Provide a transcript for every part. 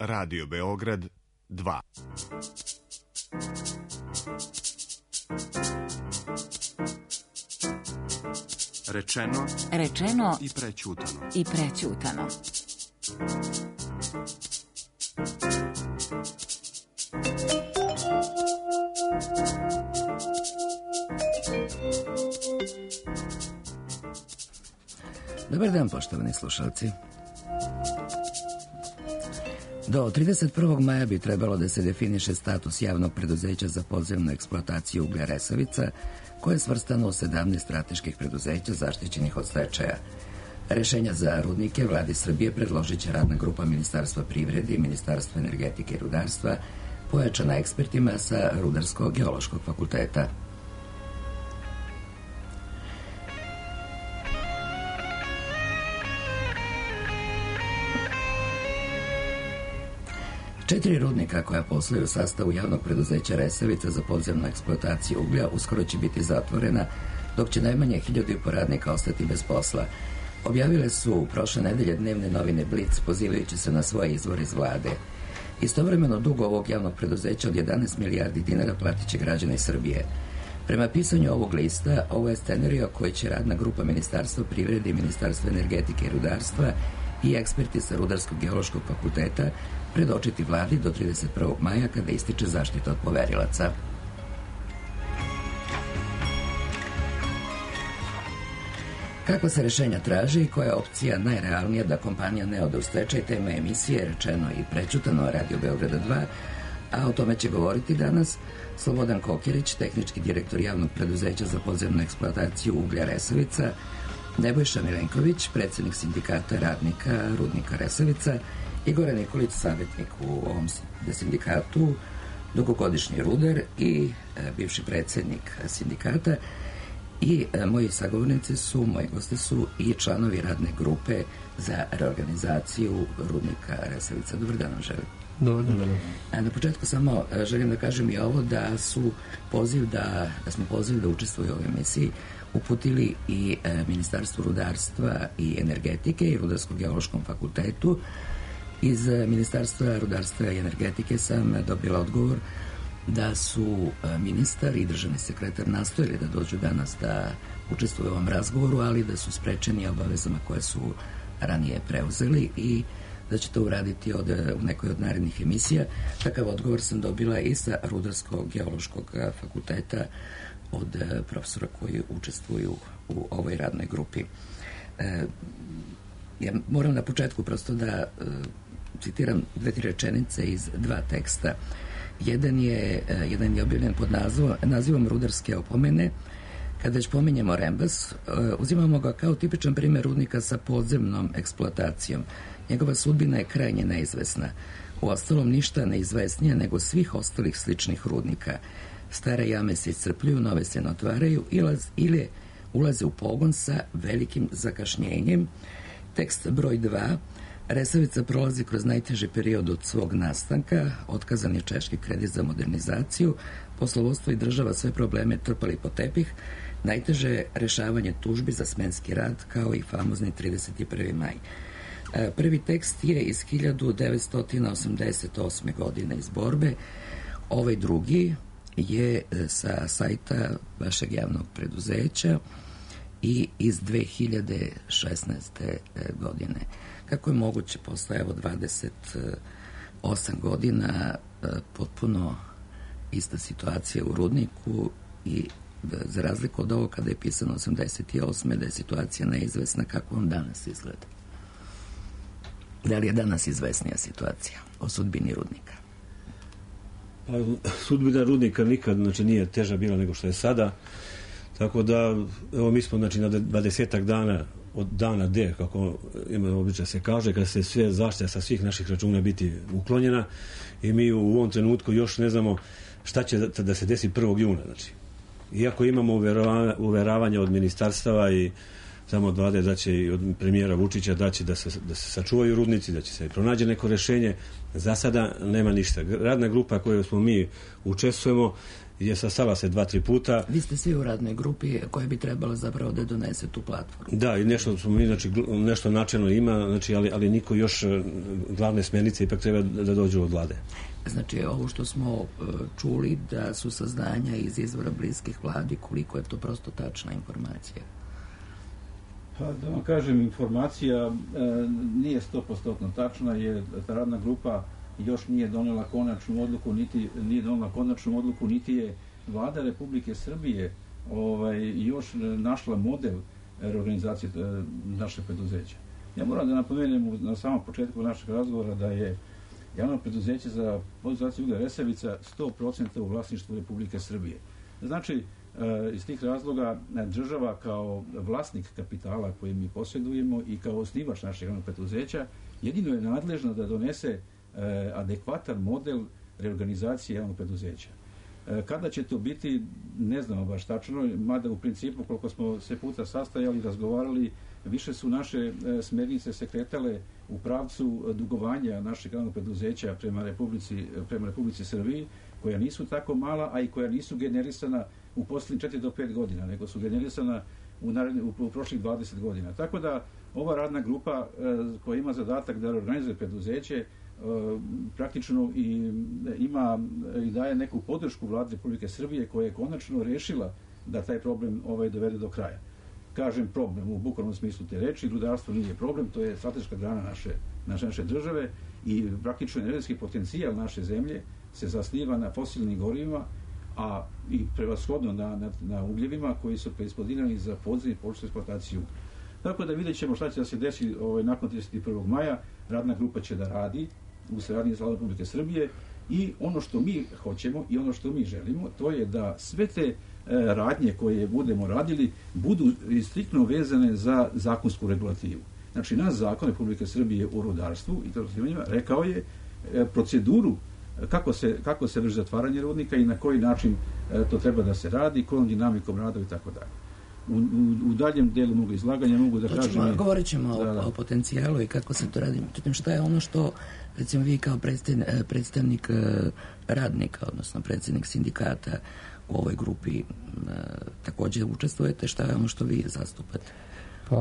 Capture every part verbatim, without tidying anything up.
Radio Beograd dva. Rečeno, rečeno i prećutano. I prećutano. Dobar dan, poštovani slušalci. Do trideset prvog maja bi trebalo da se definiše status javnog preduzeća za podzemnu eksploataciju uglja Resavica, koje je svrstano u sedamnaest strateških preduzeća zaštićenih od stečaja. Rešenja za rudnike Vladi Srbije predložit će radna grupa Ministarstva privrede i Ministarstva energetike i rudarstva, pojačana ekspertima sa Rudarsko-geološkog fakulteta. Četiri rudnika koja posluju u sastavu javnog preduzeća Resavica za podzemnu eksploataciju uglja uskoro će biti zatvorena, dok će najmanje hiljadu i po radnika ostati bez posla. Objavile su prošle nedelje dnevne novine Blic, pozivajući se na svoje izvore iz vlade. Istovremeno dug ovog javnog preduzeća od jedanaest milijardi dinara platit će građani Srbije. Prema pisanju ovog lista, ovo je scenario koji će radna grupa Ministarstva privrede i Ministarstva energetike i rudarstva i eksperti sa Rudarsko-geološkog fakulteta predočiti vladi do trideset prvog maja, kada ističe zaštita od poverilaca. Kakva se rešenja traži i koja je opcija najrealnija da kompanija ne ode u stečaj, tema emisije Rečeno i prećutano Radio Beograda dva, a o tome će govoriti danas Slobodan Kokerić, tehnički direktor javnog preduzeća za podzemnu eksploataciju uglja Resavica, Nebojša Milenković, predsjednik sindikata radnika rudnika Resavica, Igor Nikolić, savjetnik u ovom sindikatu, dugogodišnji rudar i e, bivši predsjednik sindikata, i e, moji sagovornici su, moji gosti su i članovi radne grupe za reorganizaciju rudnika Resavica. Dobar dan vam želim. Dobar dan. A na početku samo e, želim da kažem i ovo, da su poziv da, da smo poziv da učestvuju u ovoj emisiji uputili i e, Ministarstvu rudarstva i energetike i Rudarsko-geološkom fakultetu. Iz Ministarstva rudarstva i energetike sam dobila odgovor da su ministar i državni sekretar nastojili da dođu danas da učestvuju u ovom razgovoru, ali da su sprečeni obavezama koje su ranije preuzeli i da će to uraditi od, u nekoj od narednih emisija. Takav odgovor sam dobila i sa Rudarsko-geološkog fakulteta od profesora koji učestvuju u ovoj radnoj grupi. E, ja moram na početku prosto da e, citiram dve, tri rečenice iz dva teksta. Jedan je, e, jedan je objavljen pod nazivom, nazivom Rudarske opomene. Kada već pominjemo Rembas, e, uzimamo ga kao tipičan primjer rudnika sa podzemnom eksploatacijom. Njegova sudbina je krajnje neizvesna. U ostalom ništa neizvesnije nego svih ostalih sličnih rudnika. Stare jame se iscrpljuju, nove se ne otvaraju ili ulaze u pogon sa velikim zakašnjenjem. Tekst broj dva. Resavica prolazi kroz najteži period od svog nastanka, otkazan je češki kredit za modernizaciju, poslovodstvo i država sve probleme trpali po tepih, najteže je rešavanje tužbi za smenski rad, kao i famozni trideset prvi maj. Prvi tekst je iz hiljadu devetsto osamdeset osme. godine iz borbe, ovaj drugi je sa sajta vašeg javnog preduzeća i iz dve hiljade šesnaeste. godine. Kako je moguće posle evo dvadeset osam godina potpuno ista situacija u rudniku i za razliku od ovo kada je pisano osamdeset osme. da je situacija neizvesna, kako vam danas izgleda? Da li je danas izvesnija situacija o sudbini rudnika? Pa, sudbina rudnika nikad, znači, nije teža bila nego što je sada, tako da evo mi smo, znači, na dvadesetak dana od dana D, kako ima običaj se kaže, kada se sve zaštita sa svih naših računa biti uklonjena, i mi u ovom trenutku još ne znamo šta će da, da se desi prvog juna. Znači, iako imamo uveravanje, uveravanje od ministarstava i samo od vlade da će i od premijera Vučića da će da se, da se sačuvaju rudnici, da će se pronađe neko rešenje, za sada nema ništa. Radna grupa koju smo mi učestvujemo je sastala se dva, tri puta. Vi ste svi u radnoj grupi koja bi trebala zapravo da donese tu platformu. Da, i nešto smo mi, znači, nešto načelno ima, znači, ali, ali niko još glavne smjernice ipak treba da dođu od vlade. Znači, ovo što smo čuli da su saznanja iz izvora bliskih vladi, koliko je to prosto tačna informacija? Pa, da vam kažem, informacija e, nije sto posto tačna, jer ta radna grupa još nije donela konačnu odluku, niti nije donela konačnu odluku, niti je vlada Republike Srbije ovaj, još našla model reorganizacije e, naše preduzeća. Ja moram da napomenem na samom početku našeg razgovora da je javno preduzeće za podizaciju uglja Resavica sto posto u vlasništvu Republike Srbije. Znači, iz tih razloga država kao vlasnik kapitala koji mi posjedujemo i kao osnivač našeg javnog preduzeća jedino je nadležna da donese adekvatan model reorganizacije javnog preduzeća. Kada će to biti, ne znamo baš tačno, mada u principu koliko smo se puta sastajali, razgovarali, više su naše smernice se kretale u pravcu dugovanja našeg javnog preduzeća prema Republici, prema Republici Srbiji, koja nisu tako mala, a i koja nisu generisana u posljednjih četiri do pet godina, nego su generisana u, naredni, u, u prošlih dvadeset godina. Tako da ova radna grupa e, koja ima zadatak da organizuje preduzeće e, praktično i ima i daje neku podršku vlade Republike Srbije koja je konačno rešila da taj problem ovaj dovede do kraja. Kažem problem u bukvalnom smislu te reči, rudarstvo nije problem, to je strateška grana naše, naše, naše države i praktično energetski potencijal naše zemlje se zasniva na fosilnim gorivima, a i prevashodno na, na, na ugljevima koji su preispodinani za podzemnu i površinsku eksploataciju. Tako da vidjet ćemo šta će da se desi ovaj, nakon trideset prvog maja. Radna grupa će da radi u saradnji sa Vladom Republike Srbije i ono što mi hoćemo i ono što mi želimo, to je da sve te e, radnje koje budemo radili budu striktno vezane za zakonsku regulativu. Znači, naš zakon Republike Srbije o rudarstvu i istraživanjima rekao je e, proceduru kako se, kako se vrši zatvaranje rudnika i na koji način e, to treba da se radi, kojom dinamikom rada i tako dalje. U, u, u daljem delu mogu izlaganja mogu da to kažem... Ćemo, govorit ćemo da, da. O, o potencijalu i kako se to radi. Međutim, šta je ono što, recimo, vi kao predstavnik, predstavnik radnika, odnosno predsednik sindikata u ovoj grupi e, također učestvujete, šta je ono što vi zastupate? Pa,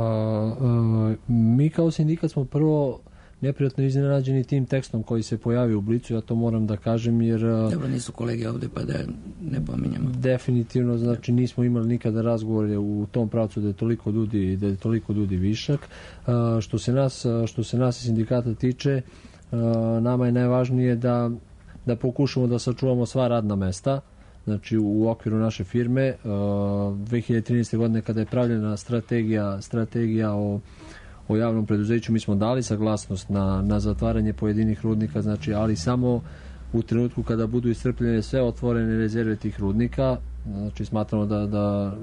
e, mi kao sindikat smo prvo neprijatno iznenađeni tim tekstom koji se pojavio u Blicu, ja to moram da kažem, jer... Dobro, nisu kolege ovde, pa da ne pominjamo. Definitivno, znači nismo imali nikada razgovore u tom pravcu da je toliko ljudi, da je toliko ljudi višak. Što se nas, što se nas i sindikata tiče, nama je najvažnije da, da pokušamo da sačuvamo sva radna mesta, znači u okviru naše firme. dve hiljade trinaeste. godine kada je pravljena strategija, strategija o o javnom preduzeću, mi smo dali saglasnost na, na zatvaranje pojedinih rudnika, znači, ali samo u trenutku kada budu iscrpljene sve otvorene rezerve tih rudnika, znači smatramo da, da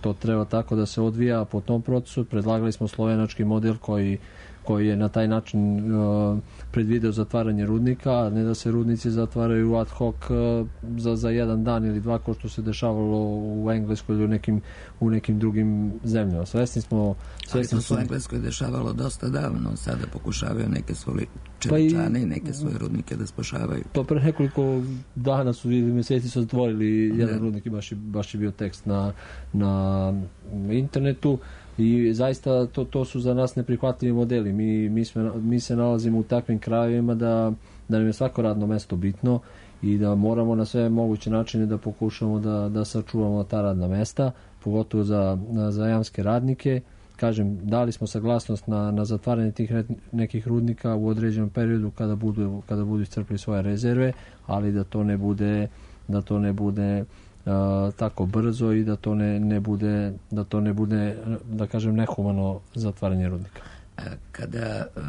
to treba tako da se odvija po tom procesu. Predlagali smo slovenački model koji, koji je na taj način uh, predvideo zatvaranje rudnika, a ne da se rudnici zatvaraju ad hoc uh, za, za jedan dan ili dva, kao što se dešavalo u Engleskoj ili u nekim, u nekim drugim zemljama. Svesni smo... Svesni Ali smo... u Engleskoj dešavalo dosta davno, sada pokušavaju neke svoje čeličane pa i, i neke svoje rudnike da spašavaju. To pre nekoliko dana su ili mjeseci su zatvorili jedan rudnik i baš je, baš je bio tekst na, na internetu. I zaista to, to su za nas neprihvatljivi modeli. Mi, mi, sme, mi se nalazimo u takvim krajevima da, da nam je svako radno mesto bitno i da moramo na sve moguće načine da pokušamo da, da sačuvamo ta radna mesta, pogotovo za, za jamske radnike. Kažem, dali smo saglasnost na, na zatvaranje tih nekih rudnika u određenom periodu kada budu, kada budu iscrpili svoje rezerve, ali da to ne bude, da to ne bude Uh, tako brzo i da to ne, ne bude da to ne bude, da kažem, nehumano zatvaranje rudnika. Kada uh,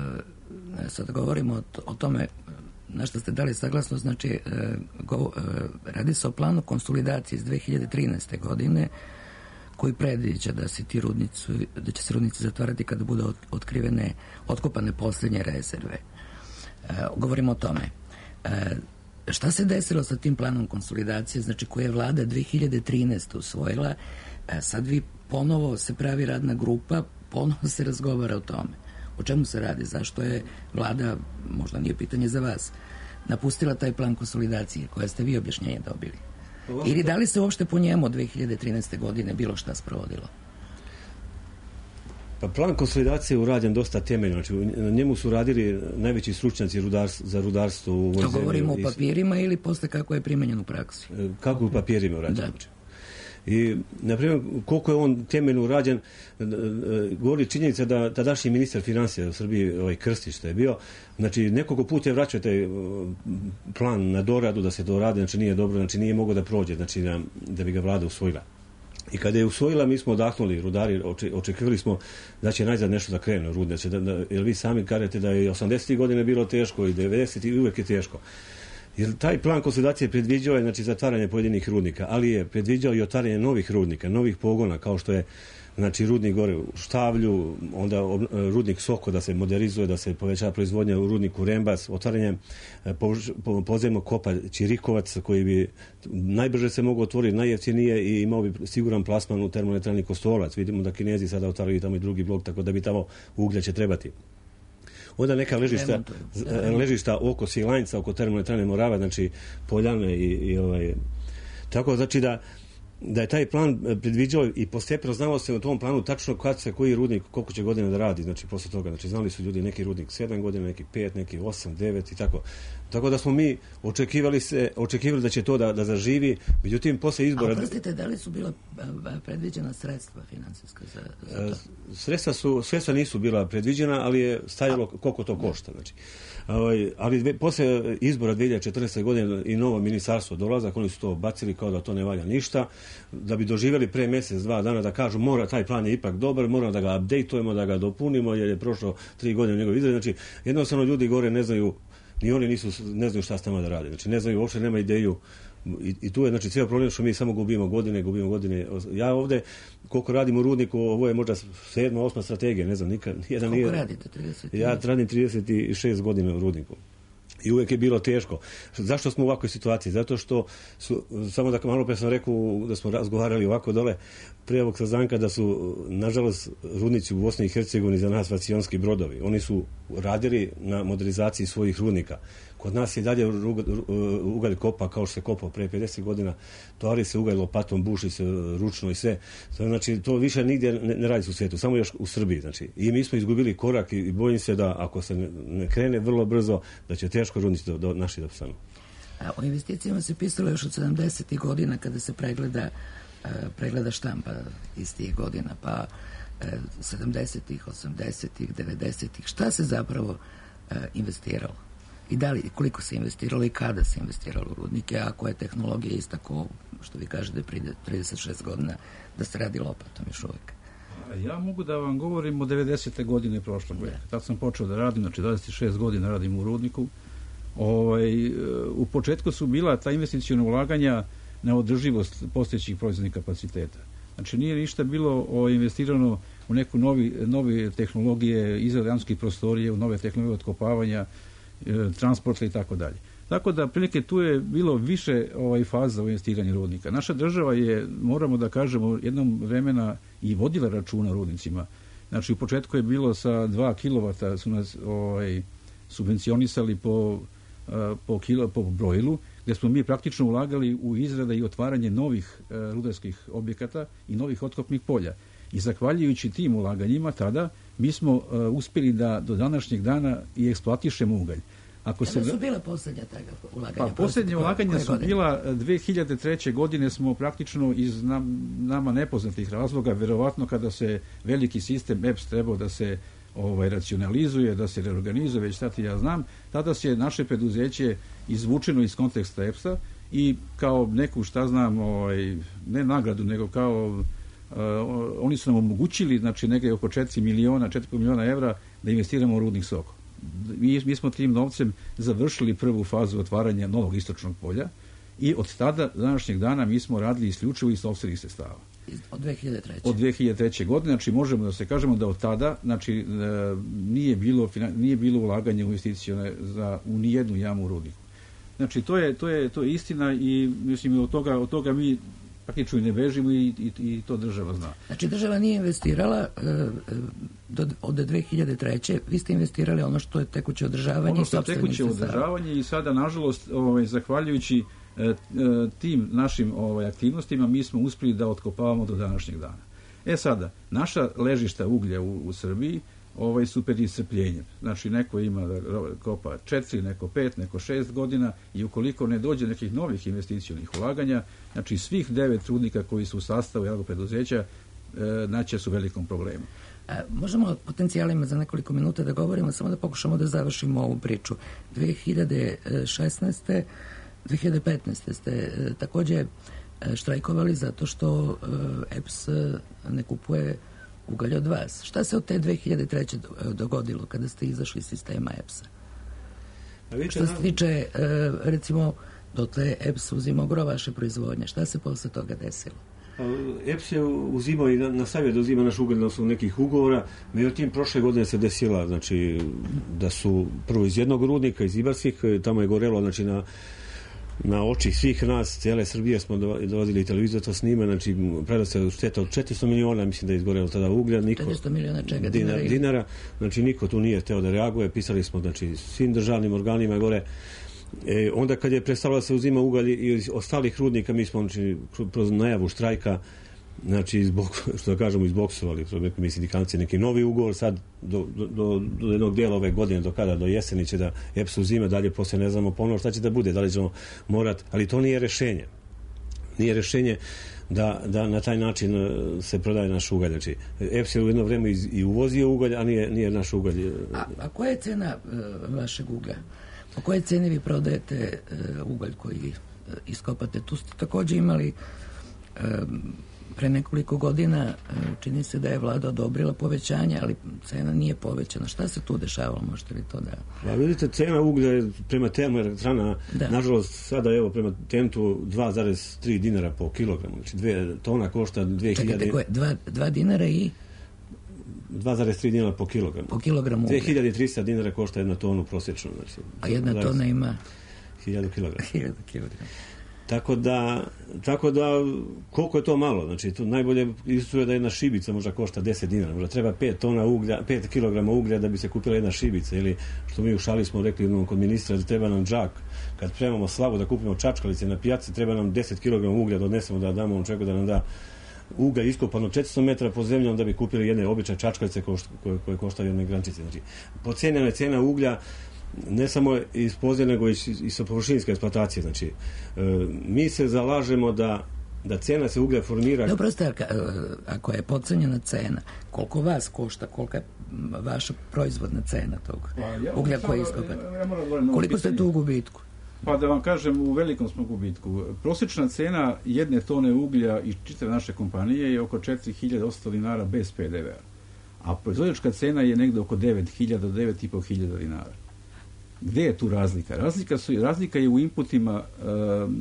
sad govorimo o, o tome na što ste dali saglasnost, znači uh, go, uh, radi se o planu konsolidacije iz dve hiljade trinaeste. godine koji predviđa da se ti rudnici, da će se rudnici zatvarati kada budu otkrivene, otkopane posljednje rezerve. Uh, govorimo o tome. Uh, Šta se desilo sa tim planom konsolidacije, znači koje je vlada dve hiljade trinaeste. usvojila, sad vi ponovo se pravi radna grupa, ponovo se razgovara o tome. O čemu se radi? Zašto je vlada, možda nije pitanje za vas, napustila taj plan konsolidacije, koje ste vi objašnjenje dobili? Ili da li se uopšte po njemu od dve hiljade trinaeste. godine bilo šta sprovodilo? Pa plan konsolidacije urađen dosta temeljno. Znači, na njemu su radili najveći stručnjaci rudars, za rudarstvo u ovoj zemlji. To govorimo o papirima ili posle kako je primenjen u praksi? Kako u papirima urađen. I, na primjer, koliko je on temeljno urađen, govori činjenica da tadašnji ministar financija u Srbiji, ovaj Krstić, što je bio, znači nekoliko puta je vraćao taj plan na doradu, da se doradi, znači nije dobro, znači nije mogao da prođe, znači da, da bi ga vlada usvojila. I kada je usvojila, mi smo odahnuli, rudari, očekivali smo da će najzad nešto da krene rudne, da, da, jer vi sami kažete da je osamdesetih godine bilo teško i devedesetih i uvek je teško. Jer taj plan konsolidacije predviđao je, znači, zatvaranje pojedinih rudnika, ali je predviđao i otvaranje novih rudnika, novih pogona, kao što je, znači, rudnik gore u Štavlju, onda rudnik Soko da se modernizuje, da se poveća proizvodnja u rudniku Rembas, otvaranje podzemnog kopa Ćirikovac, koji bi najbrže se mogao otvoriti, najjeftinije i imao bi siguran plasman u termoelektrani Kostolac. Vidimo da Kinezi sada otvaraju tamo i drugi blok, tako da bi tamo uglja će trebati. Onda neka ležišta, ležišta oko Svilajnca, oko termoelektrane Morava, znači Poljane i, i ovaj... Tako, znači da da je taj plan predviđao i postepeno znalo se u tom planu tačno kad se koji rudnik, koliko će godina da radi, znači posle toga, znači znali su ljudi neki rudnik sedam godina, neki pet, neki osam, devet i tako. Tako da smo mi očekivali se, očekivali da će to da, da zaživi, međutim posle izbora... A prostite, da li su bila predviđena sredstva finansijska za, za to? Sredstva su, sredstva nisu bila predviđena, ali je stajalo koliko to košta, znači. Ali dve, posle izbora dve hiljade četrnaeste. godine i novo ministarstvo dolazak, oni su to bacili kao da to ne valja ništa, da bi doživjeli pre mjesec, dva dana da kažu mora, taj plan je ipak dobar, moramo da ga updateujemo, da ga dopunimo, jer je prošlo tri godine njegov izgled. Znači, jednostavno ljudi gore ne znaju, ni oni nisu, ne znaju šta s nama da rade. Znači, ne znaju, uopšte nema ideju. I, i tu je, znači, cijel problem što mi samo gubimo godine, gubimo godine. Ja ovde, koliko radim u rudniku, ovo je možda sedma, osma strategija, ne znam, nikad. Jedan koliko nije, radite? trideset Ja radim trideset šest godina u rudniku. I uvijek je bilo teško. Zašto smo u ovakvoj situaciji? Zato što su, samo da malo pre sam rekao da smo razgovarali ovako dole pre ovog saznanka da su, nažalost, rudnici u Bosni i Hercegovini za nas vacionski brodovi. Oni su radili na modernizaciji svojih rudnika. Kod nas je dalje ugalj kopa kao što se kopao pre pedeset godina, tovari se ugalj lopatom, buši se ručno i sve. Znači, to više nigdje ne, ne radi u svijetu, samo još u Srbiji. Znači. I mi smo izgubili korak i bojim se da ako se ne, ne krene vrlo brzo, da će teško rudnici do, do naši da postanu. A o investicijama se pisalo još od sedamdesetih godina kada se pregleda, pregleda štampa iz tih godina, pa sedamdesetih, osamdesetih, devedesetih. Šta se zapravo investiralo? I da li, koliko se investiralo i kada se investiralo u rudnike, ako je tehnologija ista ko, što vi kažete, prije trideset šest godina, da se radi lopatom još uvijek? Ja mogu da vam govorim o devedesete. godine prošlog veka. Tad sam počeo da radim, znači dvadeset šest godina radim u rudniku. Ovaj, u početku su bila ta investicijona ulaganja na održivost postojećih proizvodnih kapaciteta. Znači nije ništa bilo o, investirano u neku novi, nove tehnologije, izrade jamskih prostorije, u nove tehnologije otkopavanja, transporta i tako dalje. Tako da, prilike, tu je bilo više ovaj, faza u investiranju rudnika. Naša država je, moramo da kažemo, jednom vremena i vodila računa o rudnicima. Znači, u početku je bilo sa dva kilovata su nas ovaj, subvencionisali po, po, kilo, po brojilu, gdje smo mi praktično ulagali u izrada i otvaranje novih rudarskih objekata i novih otkopnih polja. I zahvaljujući tim ulaganjima tada, mi smo uh, uspjeli da do današnjeg dana i eksploatišemo ugalj. Ako Kada se... su bila posljednja taga ulaganja? Pa posljednje ulaganja su godine? bila dve hiljade treće. godine smo praktično iz nam, nama nepoznatih razloga, verovatno kada se veliki sistem E P S trebao da se ovaj, racionalizuje, da se reorganizuje, već sad ja znam, tada se naše preduzeće izvučeno iz konteksta E P S-a i kao neku, šta znam, ovaj, ne nagradu, nego kao Uh, oni su nam omogućili, znači negdje oko četiri miliona, četiri miliona evra da investiramo u rudnik Soko. Mi, mi smo tim novcem završili prvu fazu otvaranja novog istočnog polja i od tada, današnjeg dana, mi smo radili isključivo iz sopstvenih sredstava. Od dve hiljade treće. Od dve hiljade treće. godine, znači možemo da se kažemo da od tada, znači nije bilo, nije bilo ulaganje u investicije za u nijednu jamu u rudniku. Znači to je, to je, to je istina i mislim od toga, od toga mi praktično i ne bežimo i, i, i to država zna. Znači država nije investirala do, od dve hiljade treće. Vi ste investirali ono što je tekuće održavanje ono i što je tekuće održavanje i sada nažalost ovaj, zahvaljujući tim našim ovaj, aktivnostima mi smo uspjeli da otkopavamo do današnjeg dana. E sada, naša ležišta uglja u, u Srbiji ovaj, su pred iscrpljenjem. Znači, neko ima da kopa četiri, neko pet, neko šest godina i ukoliko ne dođe nekih novih investicionih ulaganja, znači svih devet rudnika koji su u sastavu javnog preduzeća e, naće su u velikom problemu. A, možemo o potencijalima za nekoliko minuta da govorimo, samo da pokušamo da završimo ovu priču. dve hiljade šesnaeste. dve hiljade petnaeste. ste e, takođe e, štrajkovali zato što e, E P S ne kupuje ugalj od vas. Šta se od te dve hiljade treće. dogodilo kada ste izašli iz sistema E P S-a? Što se tiče, e, recimo, dotle E P S uzimao gro vaše proizvodnje. Šta se posle toga desilo? E P S je uzimao i nastavio da uzima naš ugalj na osnovu nekih ugovora, međutim prošle godine se desila, znači, da su prvo iz jednog rudnika, iz Ibarskih, tamo je gorelo, znači, na na oči svih nas, cijele Srbije smo dolazili televiziju to snima, znači pravila se šteta od četiristo miliona, mislim da je izgorelo tada uglja, niko, četiristo miliona čega? Dinara, dinara, znači niko tu nije teo da reaguje, pisali smo, znači, svim državnim organima gore. E, onda kad je prestalo da se uzima ugalj iz ostalih rudnika, mi smo, znači, kroz najavu štrajka, znači, zbog, što da kažemo, izboksovali nekim sindikalci neki novi ugovor sad do, do, do jednog dijela ove godine, do kada, do jeseni će da E P S uzime, dalje poslije ne znamo ponovno šta će da bude, da li ćemo morat, ali to nije rešenje. Nije rešenje da, da na taj način se prodaje naš ugalj. Znači, E P S je u jedno vreme i uvozio ugalj, a nije, nije naš ugalj. A, a koja je cena uh, vašeg uglja? Po koje cene vi prodajete uh, ugalj koji uh, iskopate? Tu ste takođe imali uh, pre nekoliko godina, čini se da je vlada odobrila povećanje, ali cena nije povećana. Šta se tu dešavalo? Možete li to da... Pa vidite, cena uglja je prema termoelektrana, nažalost, sada evo prema tentu dva zarez tri dinara po kilogramu. Znači, dve tona košta dve hiljade... Čekajte, koje? Dva, dva dinara i... dva zarez tri dinara po kilogramu. Po kilogramu uglja. dve hiljade trista dinara košta jedna tonu prosječno. Znači, a jedna tona ima... hiljadu kilograma. hiljadu kilograma. Tako da, tako da, koliko je to malo? Znači, to najbolje isto da jedna šibica možda košta deset dinara. Možda treba pet tona uglja, pet kilograma uglja da bi se kupila jedna šibica. Ili, što mi u šali smo rekli jednom kod ministra, da treba nam džak. Kad premamo slavu da kupimo čačkalice na pijaci, treba nam deset kilograma uglja da odnesemo, da damo on čovjeku da nam da uglja iskopano četiristo metara pod zemljom da bi kupili jedne obične čačkalice koje, koje koštaju jedne grančice. Znači, pocenjena je cena uglja ne samo iz podzemlja, nego i sa površinske eksploatacije. Znači, e, mi se zalažemo da, da cena se uglja formira... Dobro, ste, ako je podcenjena cena, koliko vas košta, kolika je vaša proizvodna cena tog pa, ja, uglja koji iskopate? Ja, ja koliko ste tu u gubitku? Pa da vam kažem, u velikom smo gubitku. Prosječna cena jedne tone uglja iz čitave naše kompanije je oko četiri hiljade osamsto dinara bez P D V-a. A proizvođačka cena je negde oko devet hiljada do devet i po hiljada dinara. Gde je tu razlika? Razlika, su, razlika je u inputima e,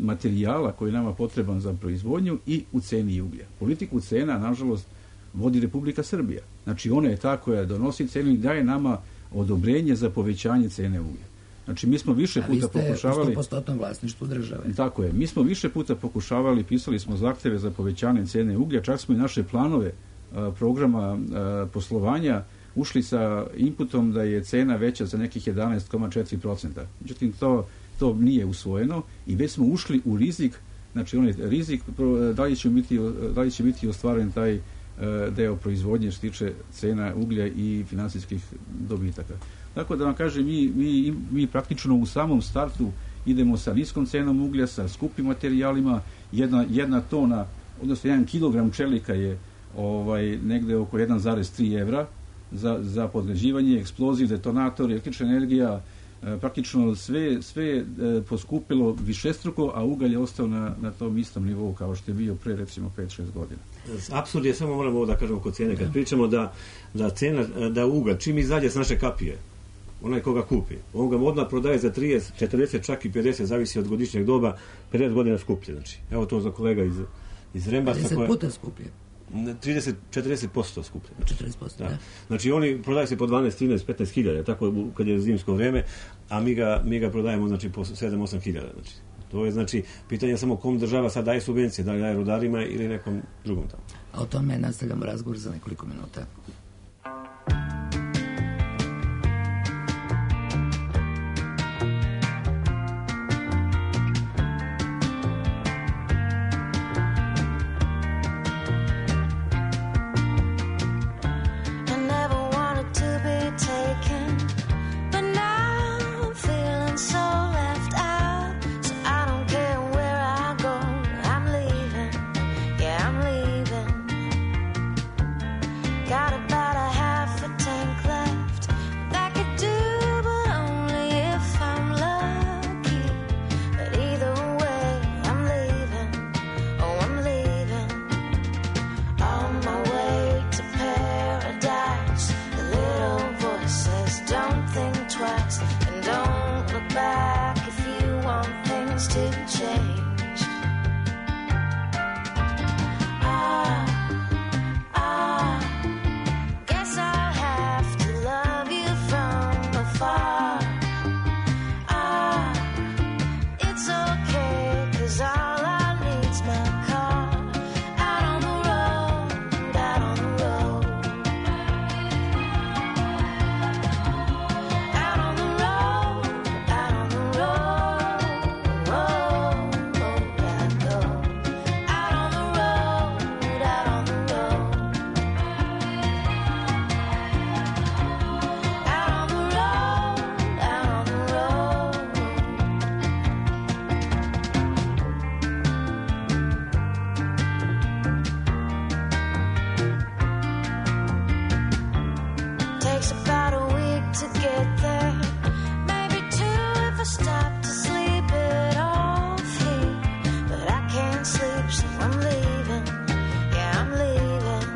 materijala koji je nama potreban za proizvodnju i u ceni uglja. Politiku cena, nažalost, vodi Republika Srbija. Znači, ona je ta koja donosi cenu i daje nama odobrenje za povećanje cene uglja. Znači, mi smo više puta pokušavali... A vi ste u sto posto vlasništvu države. Tako je. Mi smo više puta pokušavali, pisali smo zahteve za povećanje cene uglja, čak smo i naše planove a, programa a, poslovanja ušli sa inputom da je cena veća za nekih jedanaest zarez četiri posto. Međutim, to, to nije usvojeno i već smo ušli u rizik, znači onaj rizik, da li će biti, da li će biti ostvaren taj deo proizvodnje što tiče cena uglja i finansijskih dobitaka. Tako da vam kažem, mi, mi, mi praktično u samom startu idemo sa niskom cenom uglja, sa skupim materijalima, jedna, jedna tona, odnosno jedan kilogram čelika je ovaj, negde oko jedan zarez tri evra za, za podređivanje, eksploziv, detonator, električna energija, e, praktično sve, sve e, poskupilo višestruko, a ugalj je ostao na, na tom istom nivou kao što je bio pre recimo pet šest godina. Apsurd je, samo moramo ovo da kažemo kod cene, kad pričamo da, da cena, da ugalj, čim izađe s naše kapije, onaj koga kupi, on ga odmah prodaje za trideset, četrdeset, čak i pedeset, zavisi od godišnjeg doba, pedeset godina skuplje. Znači, evo to za kolega iz, iz Rembasa. pedeset puta skuplje. trideset do četrdeset posto skuplje. četrdeset posto, da. da. Znači, oni prodaju se po dvanaest, trinaest, petnaest hiljada, tako kad je zimsko vreme, a mi ga, mi ga prodajemo, znači, po sedam do osam hiljada. Znači, to je, znači, pitanje samo kom država sad daje subvencije, da li daje rudarima ili nekom drugom tamo. A o tome nastavljamo razgovor za nekoliko minuta. wants to change. Ah, ah, guess I'll have to love you from afar. Ah, it's okay, 'cause all I need's my car. Out on the road, out on the road. Out on the road, out on the road. Oh, oh, I go. Out on the road, out on the road. Out on the road, out on the road. Takes about a week to get there, maybe two if I stop to sleep it off here. But I can't sleep, so I'm leaving. Yeah, I'm leaving.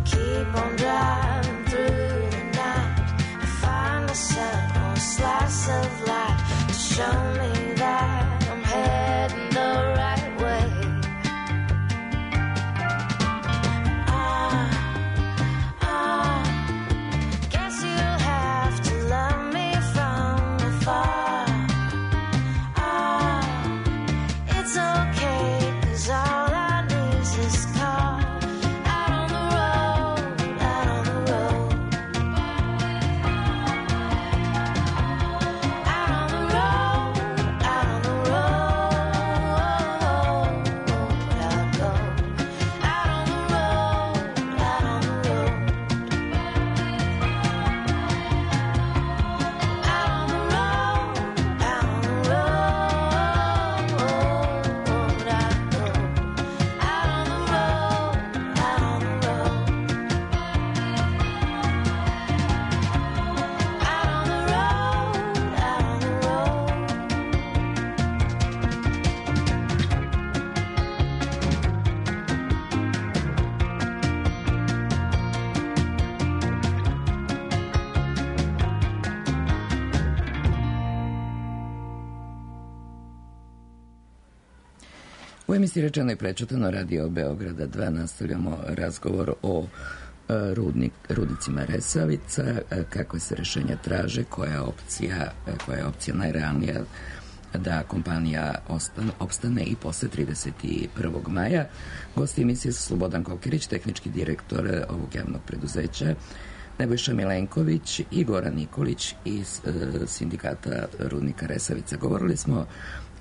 Keep on driving through the night. I find the sun or a slice of light to show me that I'm heading the right way. Ah, ah, guess you'll have to love me from afar. Ah, it's okay, 'cause all I need is this car. Out on the road, out on the road. Out on the road, out on the road. I go. Out on the road, out on the road. Out on the road, out on the road, I go. Out on the road, out on the road. Out on the road, out on the road. U emisiji Rečeno i prečutano Radio Beograda dva nastavljamo razgovor o e, rudnik, rudnicima Resavica, e, kakve se rešenja traže, koja je opcija, e, koja je opcija najrealnija da kompanija ostane, opstane i posle trideset prvog maja. Gosti emisije su Slobodan Kokirić, tehnički direktor e, ovog javnog preduzeća, Nebojša Milenković i Goran Nikolić iz e, sindikata rudnika Resavica. Govorili smo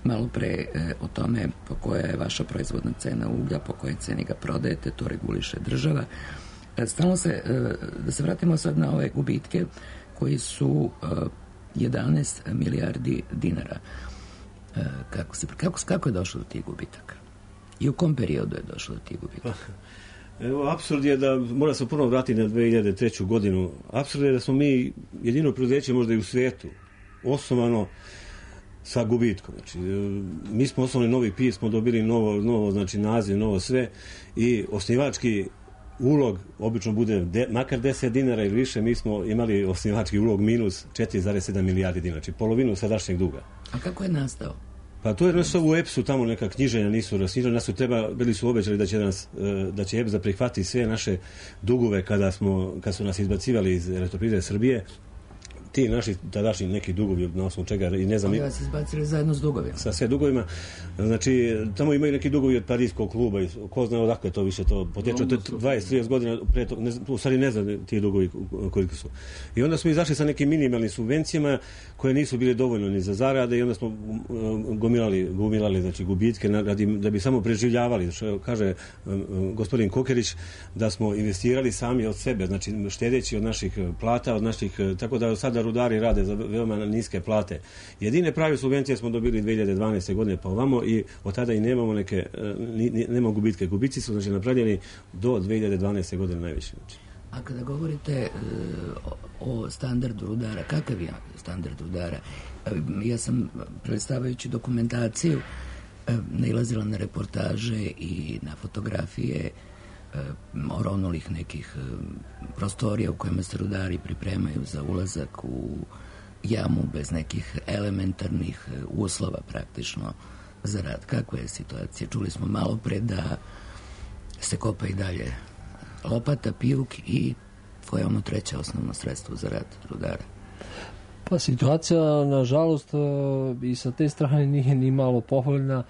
malo pre e, o tome po koja je vaša proizvodna cena uglja, po kojoj ceni ga prodajete, to reguliše država. E, stalno se, e, da se vratimo sad na ove gubitke koji su e, jedanaest milijardi dinara. E, kako, se, kako, kako je došlo do tih gubitaka? I u kom periodu je došlo do tih gubitaka? Evo, apsurd je da mora se ponovno vratiti na dve hiljade treću godinu. Apsurd je da smo mi jedino preduzeće možda i u svijetu osnovano sa gubitkom. Znači, mi smo osnovali novi P I S, smo dobili novo, novo znači, naziv, novo sve i osnivački ulog obično bude de, makar deset dinara ili više, mi smo imali osnivački ulog minus četiri zarez sedam milijardi dinara, znači polovinu sadašnjeg duga. A kako je nastao? Pa to je nešto u E P S-u, tamo neka knjiženja nisu rasnižena, nas su treba, bili su obećali da će, nas, da će E P S da prihvati sve naše dugove kada, smo, kad su nas izbacivali iz Elektroprivrede Srbije. Ti naši tadašnji neki dugovi na osnovu čega i ne znam. Ali vas izbacili zajedno s dugovima. Sa sve dugovima. Znači, tamo imaju neki dugovi od Parijskog kluba i ko zna odakle to više to poteče. To je dvadeset trideset godina pre to, ne, u stvari ne znam ti dugovi koliko su. I onda smo izašli sa nekim minimalnim subvencijama koje nisu bile dovoljno ni za zarade i onda smo gomilali, gomilali znači gubitke radi, da bi samo preživljavali. Što kaže gospodin Kokerić, da smo investirali sami od sebe, znači štedeći od naših plata, od naših, tako da sada rudari rade za veoma niske plate. Jedine prave subvencije smo dobili dve hiljade dvanaeste godine pa ovamo i od tada i nemamo neke, nemamo gubitke. Gubici su znači napravljeni do dve hiljade dvanaeste godine najviše. A kada govorite uh, o standardu rudara, kakav je standard rudara? Ja sam, predstavljajući dokumentaciju, nailazila na reportaže i na fotografije oronulih nekih prostorija u kojima se rudari pripremaju za ulazak u jamu bez nekih elementarnih uslova praktično za rad. Kakva je situacija? Čuli smo malo pre da se kopa i dalje lopata, pijuk i koje je ono treće osnovno sredstvo za rad rudara? Pa situacija, nažalost, i sa te strane nije ni malo pohvaljna.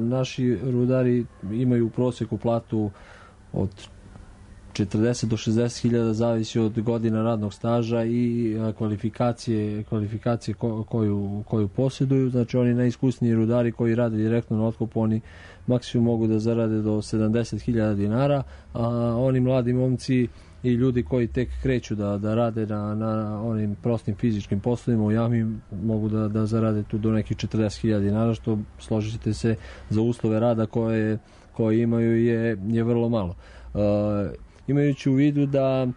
Naši rudari imaju u prosjeku platu od četrdeset do šezdeset hiljada, zavisi od godina radnog staža i kvalifikacije, kvalifikacije koju, koju posjeduju. Znači oni najiskusniji rudari koji rade direktno na otkopu, oni maksimum mogu da zarade do sedamdeset hiljada dinara, a oni mladi momci i ljudi koji tek kreću da, da rade na, na onim prostim fizičkim poslovima u jami mogu da, da zarade tu do nekih četrdeset hiljada dinara, što složite se za uslove rada koje, koje imaju je, je vrlo malo. Uh, imajući u vidu da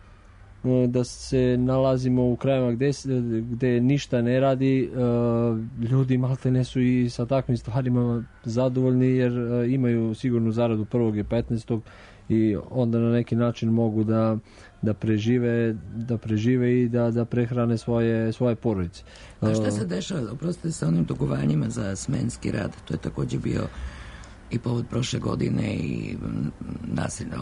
da se nalazimo u krajevima gde, gde ništa ne radi, ljudi malte ne su i sa takvim stvarima zadovoljni, jer imaju sigurnu zaradu prvog i petnaestog i onda na neki način mogu da, da prežive da prežive i da, da prehrane svoje, svoje porodice. A šta se dešava, oprostite, sa onim dugovanjima za smenski rad? To je takođe bio i povod prošle godine i nasilja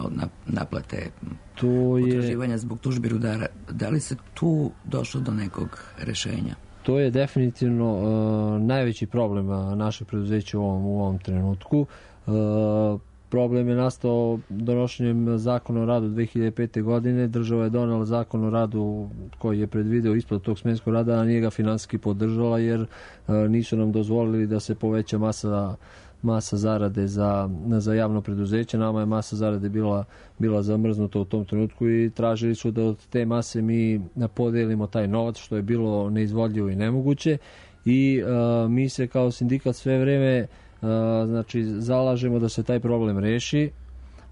naplate to je, potraživanja zbog tužbi rudara. Da li se tu došlo do nekog rešenja? To je definitivno uh, najveći problem našeg preduzeća u ovom, u ovom trenutku. Uh, problem je nastao donošenjem zakona o radu dve hiljade pete. godine. Država je donela zakon o radu koji je predvideo isplatu tog smenskog rada, a nije ga finansijski podržala, jer uh, nisu nam dozvolili da se poveća masa masa zarade za, za javno preduzeće. Nama je masa zarade bila, bila zamrznuta u tom trenutku i tražili su da od te mase mi podelimo taj novac, što je bilo neizvodljivo i nemoguće. I uh, mi se kao sindikat sve vreme uh, znači, zalažemo da se taj problem reši,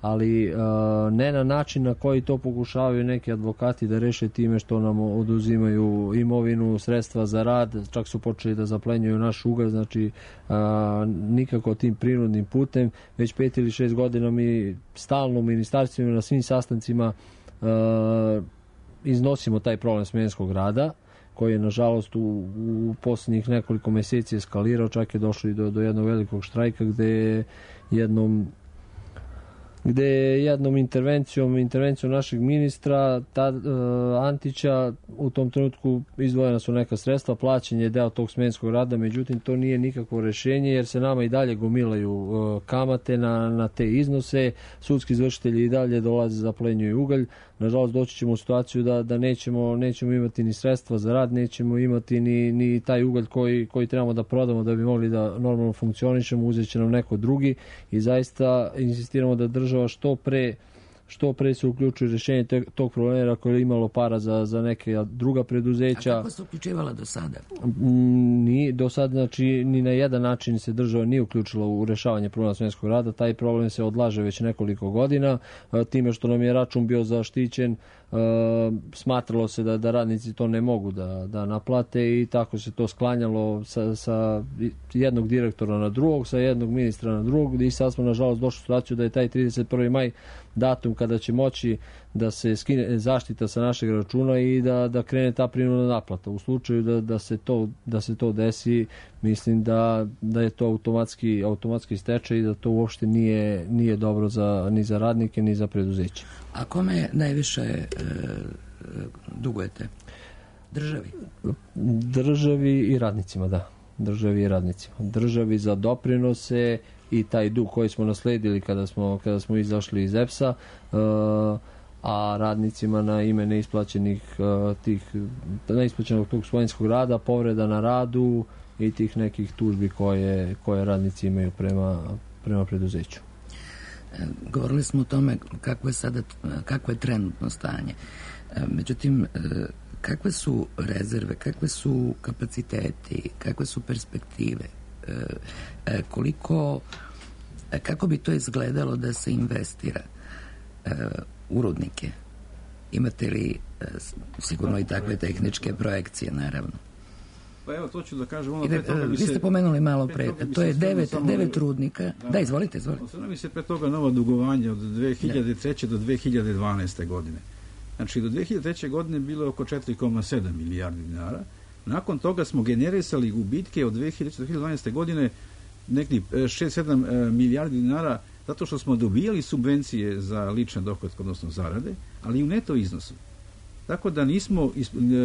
ali uh, ne na način na koji to pokušavaju neki advokati da reše time što nam oduzimaju imovinu, sredstva za rad, čak su počeli da zaplenjuju naš ugalj, znači uh, nikako tim prinudnim putem. Već pet ili šest godina mi stalno u ministarstvima na svim sastancima uh, iznosimo taj problem smenskog rada, koji je nažalost u, u posljednjih nekoliko meseci eskalirao, čak je došlo i do, do jednog velikog štrajka gde je jednom gde je jednom intervencijom, intervencijom našeg ministra ta, uh, Antića, u tom trenutku izdvojena su neka sredstva, plaćen je deo tog smenskog rada, međutim to nije nikakvo rešenje, jer se nama i dalje gomilaju uh, kamate na, na te iznose, sudski izvršitelji i dalje dolaze, zaplenjuju ugalj. Nažalost doći ćemo u situaciju da, da nećemo, nećemo imati ni sredstva za rad, nećemo imati ni, ni taj ugalj koji, koji trebamo da prodamo da bi mogli da normalno funkcionišemo, uzet će nam neko drugi i zaista insistiramo da država što pre što pre se uključuje rješenje te, tog problema koje je imalo para za, za neke druga preduzeća. A kako se uključivala do sada? Ni, do sada, znači, ni na jedan način se država nije uključila u rešavanje problema smenskog rada. Taj problem se odlaže već nekoliko godina. Time što nam je račun bio zaštićen, smatralo se da, da radnici to ne mogu da, da naplate i tako se to sklanjalo sa, sa jednog direktora na drugog, sa jednog ministra na drugog i sad smo nažalost došli u situaciju da je taj trideset prvi maj datum kada će moći da se skine zaštita sa našeg računa i da, da krene ta prinudna naplata. U slučaju da, da, se, to, da se to desi, mislim da, da je to automatski, automatski stečaj i da to uopšte nije, nije dobro za, ni za radnike ni za preduzeće. A kome najviše e, dugujete? Državi? Državi i radnicima, da. Državi i radnicima. Državi za doprinose i taj dug koji smo nasledili kada smo, kada smo izašli iz E P S-a, a radnicima na ime neisplaćenih tih, neisplaćenog tog svojenskog rada, povreda na radu i tih nekih tužbi koje, koje radnici imaju prema, prema preduzeću. Govorili smo o tome kako je sada, kako je trenutno stanje. Međutim, kakve su rezerve, kakve su kapaciteti, kakve su perspektive, koliko, kako bi to izgledalo da se investira u rudnike? Imate li sigurno i takve tehničke projekcije, naravno? Pa evo, to ću da kažem. Ono, pre toga vi ste se, pomenuli malo pre, to je devet, devet rudnika. Da, da, izvolite, izvolite. Osnovno mi se pre toga nova dugovanja od dve hiljade treće. do dve hiljade dvanaeste. godine. Znači, do dve hiljade treće. godine bilo je oko četiri zarez sedam milijardi dinara Nakon toga smo generisali gubitke od dve hiljade dvanaeste. godine nekih šest sedam milijardi dinara zato što smo dobijali subvencije za lične dohotke, odnosno zarade, ali u neto iznosu. Tako da nismo,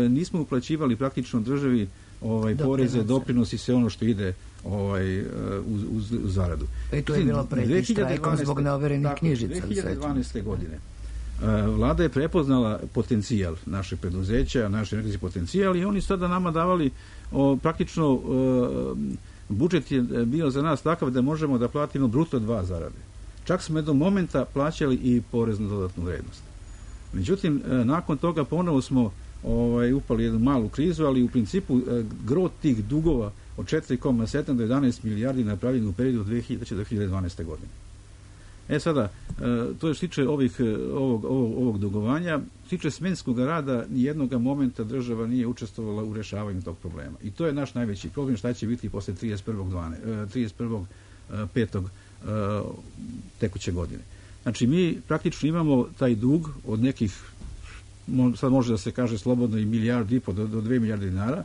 nismo uplaćivali praktično državi ovaj, poreze, doprinosi, sve ono što ide ovaj, uz, uz, uz zaradu. Pa i to je bilo pretnji štrajkom zbog neoverenih knjižica. dve hiljade dvanaeste. godine Vlada je prepoznala potencijal naše preduzeća, naš energetski potencijal i oni sada nama davali o, praktično o, budžet je bio za nas takav da možemo da platimo bruto dva zarade. Čak smo do momenta plaćali i porez na dodatnu vrednost. Međutim, nakon toga ponovo smo ovaj, upali jednu malu krizu, ali u principu gro tih dugova od četiri zarez sedam do jedanaest milijardi napravljeno u periodu od dve hiljade do dve hiljade dvanaeste. godine. E sada, to je što tiče ovih, ovog, ovog, ovog dugovanja, što tiče smenskog rada, nijednog momenta država nije učestvovala u rešavanju tog problema. I to je naš najveći problem, šta će biti posle trideset prvog petog tekuće godine. Znači, mi praktično imamo taj dug od nekih, sad može da se kaže slobodno i milijardu i po do, do dve milijarde dinara,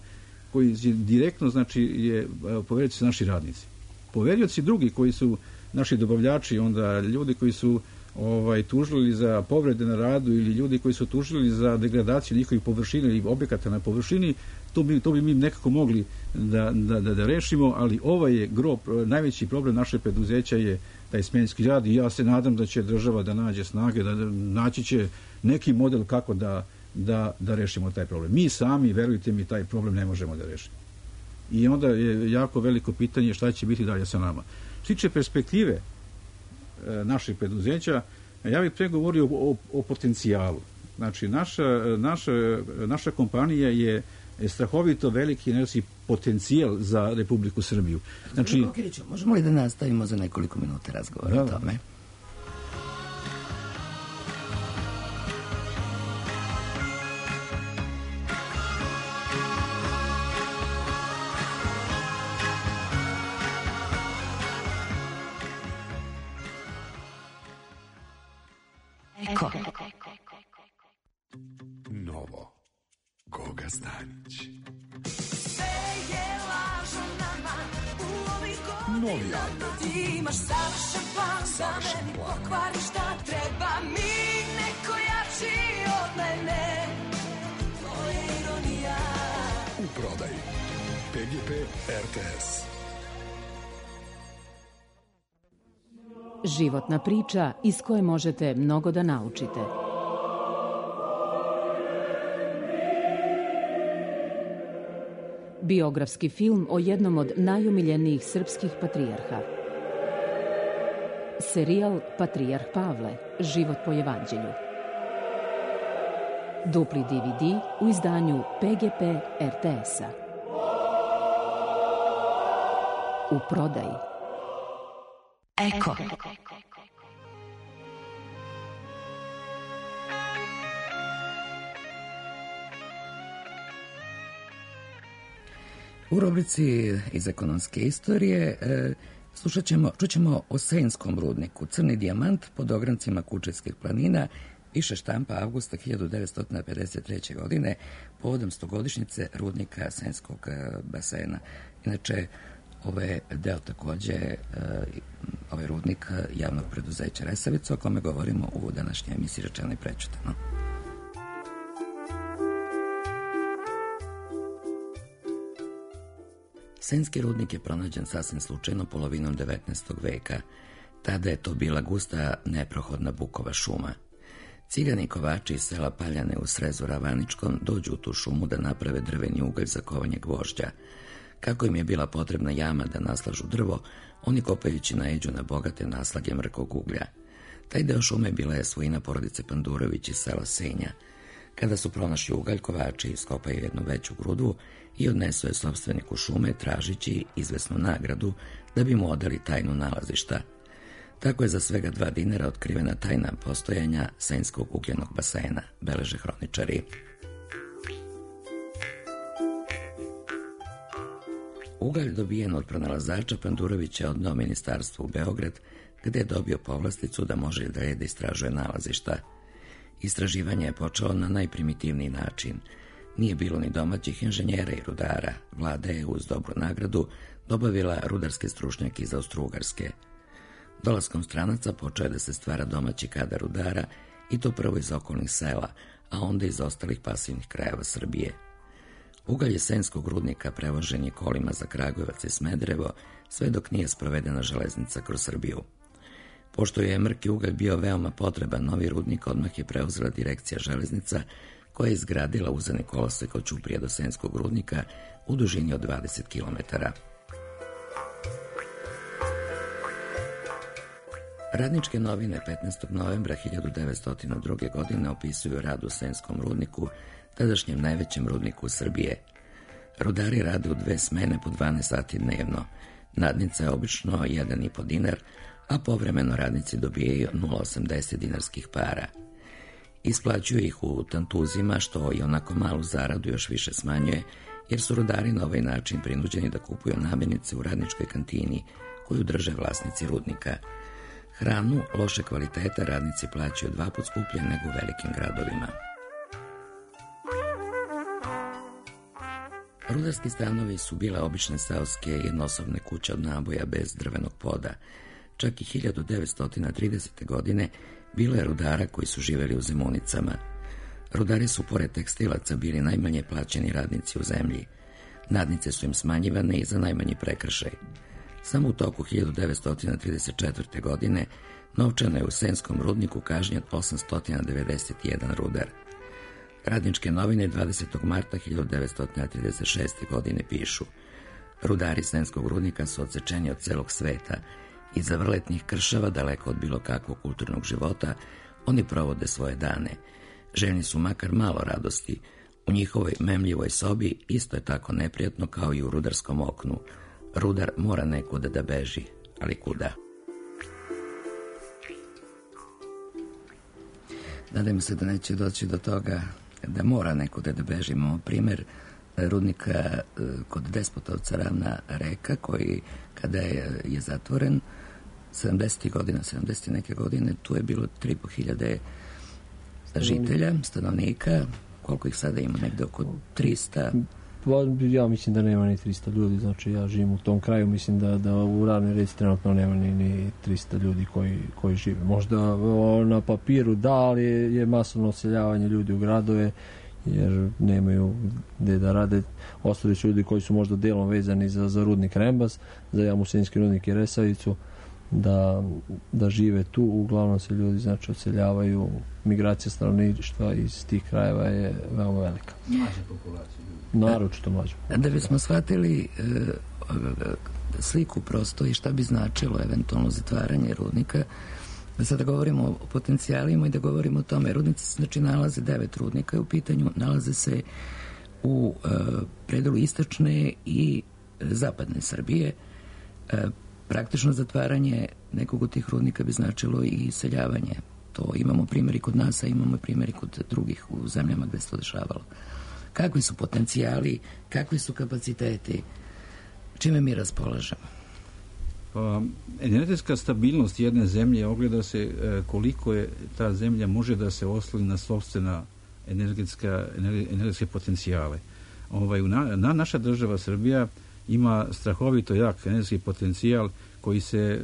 koji direktno, znači, je poverioci su naši radnici. Poverioci drugi koji su naši dobavljači, onda ljudi koji su ovaj, tužili za povrede na radu ili ljudi koji su tužili za degradaciju njihovih površina ili objekata na površini, to bi, to bi mi nekako mogli da, da, da, da rešimo, ali ovaj je gro, najveći problem naše preduzeća je taj smenski rad i ja se nadam da će država da nađe snage, da naći će neki model kako da, da, da rešimo taj problem. Mi sami, verujte mi, taj problem ne možemo da rešimo. I onda je jako veliko pitanje šta će biti dalje sa nama. Što tiče perspektive e, naših preduzeća, ja bih pregovorio o, o potencijalu. Znači, naša, naša, naša kompanija je strahovito veliki energetski potencijal za Republiku Srbiju. Znači, Okiriću, možemo li da nastavimo za nekoliko minuta razgovora da, o tome? Eko. Novo. Goga Stanić. Novi album. Imaš savršen plan za meni, pokvari šta treba mi, neko jači od mene. To je ironija. U prodaji. P G P R T S. Životna priča iz koje možete mnogo da naučite. Biografski film o jednom od najomiljenijih srpskih patrijarha. Serijal Patrijarh Pavle, život po evanđelju. Dupli D V D u izdanju P G P R T S-a. U prodaji. Eko. U rubrici iz ekonomske istorije e, slušat ćemo, čućemo o Senskom rudniku. Crni dijamant pod ograncima Kučevskih planina više štampa avgusta hiljadu devetsto pedeset treće. godine povodom stogodišnjice rudnika Senskog basena. Inače, ovaj deo takođe, ovaj rudnik javnog preduzeća Resavica, o kome govorimo u današnjoj emisiji Rečeno i prečutano. Senski rudnik je pronađen sasvim slučajno polovinom devetnaestog veka. Tada je to bila gusta, neprohodna bukova šuma. Cigani kovači iz sela Paljane u srezu Ravaničkom dođu u tu šumu da naprave drveni ugalj za kovanje gvožđa. Kako im je bila potrebna jama da naslažu drvo, oni kopajući naiđu na bogate naslage mrkog uglja. Taj deo šume bila je svojina porodice Pandurović iz sela Senja. Kada su pronašli ugalj, kovači iskopaju jednu veću grudu i odnesu je sopstveniku šume tražići izvesnu nagradu da bi mu odali tajnu nalazišta. Tako je za svega dva dinara otkrivena tajna postojanja Senjskog ugljenog basena, beleže hroničari. Ugalj dobijen od pronalazača Pandurovića odneo ministarstvo u Beograd, gde je dobio povlasticu da može da je da istražuje nalazišta. Istraživanje je počelo na najprimitivniji način. Nije bilo ni domaćih inženjera i rudara. Vlada je uz dobru nagradu dobavila rudarske stručnjake iz Austro-Ugarske. Dolaskom stranaca počeo je da se stvara domaći kadar rudara i to prvo iz okolnih sela, a onda iz ostalih pasivnih krajeva Srbije. Ugalj Senjskog rudnika prevožen je kolima za Kragujevac i Smederevo, sve dok nije sprovedena železnica kroz Srbiju. Pošto je mrki ugalj bio veoma potreban, novi rudnik odmah je preuzela direkcija železnica, koja je izgradila uzani kolosek od Ćuprije do Senjskog rudnika u dužini od dvadeset kilometara. Radničke novine petnaestog novembra hiljadu devetsto druge. godine opisuju rad u Senjskom rudniku, tadašnjem najvećem rudniku Srbije. Rudari rade u dve smene po dvanaest sati dnevno. Nadnica je obično jedan i po dinar, a povremeno radnici dobijaju nula zarez osamdeset dinarskih para. Isplaćuju ih u tantuzima, što i onako malu zaradu još više smanjuje, jer su rudari na ovaj način prinuđeni da kupuju namirnice u radničkoj kantini, koju drže vlasnici rudnika. Hranu loše kvaliteta radnici plaćaju dva put skuplje nego u velikim gradovima. Rudarski stanovi su bile obične seoske jednosobne kuće od naboja bez drvenog poda. Čak i hiljadu devetsto tridesete. godine bilo je rudara koji su živeli u Zemunicama. Rudari su pored tekstilaca bili najmanje plaćeni radnici u zemlji. Nadnice su im smanjivane i za najmanji prekršaj. Samo u toku hiljadu devetsto trideset četvrte. godine novčano je u Senjskom rudniku kažnjen osamsto devedeset jedan rudar. Radničke novine dvadesetog marta hiljadu devetsto trideset šeste. godine pišu: rudari Senjskog rudnika su odsečeni od celog sveta. Iza vrletnih kršava, daleko od bilo kakvog kulturnog života, oni provode svoje dane. Željni su makar malo radosti. U njihovoj memljivoj sobi isto je tako neprijatno kao i u rudarskom oknu. Rudar mora nekuda da beži, ali kuda? Nadam se da neće doći do toga da mora nekuda da beži. Imamo primer rudnika kod Despotovca, Ravna reka, koji kada je, je zatvoren sedamdesetih godina, sedamdeset neke godine, tu je bilo tri i po hiljade žitelja, stanovnika. Koliko ih sada ima? Negde oko trista. Ja mislim da nema ni trista ljudi, znači ja živim u tom kraju, mislim da, da u Ravnoj reci trenutno nema ni, ni trista ljudi koji, koji žive. Možda na papiru da, ali je, je masovno odseljavanje ljudi u gradove, jer nemaju gde da rade. Ostali su ljudi koji su možda delom vezani za, za rudnik Rembas, za Jamusinski rudnik i Resavicu, da, da žive tu. Uglavnom se ljudi znači odseljavaju, migracija stanovništva iz tih krajeva je veoma velika. Mlađa populacija. Naročito mlađa. Da bismo shvatili e, sliku prosto i šta bi značilo eventualno zatvaranje rudnika, da sada govorimo o potencijalima i da govorimo o tome. Rudnici se znači nalaze, devet rudnika u pitanju, nalaze se u e, predelu istočne i zapadne Srbije. E, praktično zatvaranje nekog od tih rudnika bi značilo i iseljavanje. To imamo primjeri kod nas, a imamo primjeri kod drugih u zemljama gde se to dešavalo. Kakvi su potencijali, kakvi su kapaciteti, čime mi raspolažemo? Pa, energetska stabilnost jedne zemlje ogleda se e, koliko je ta zemlja može da se osloni na sopstvena energetska, energetske potencijale. Ovaj, na, na, naša država Srbija ima strahovito jak energetski potencijal koji se,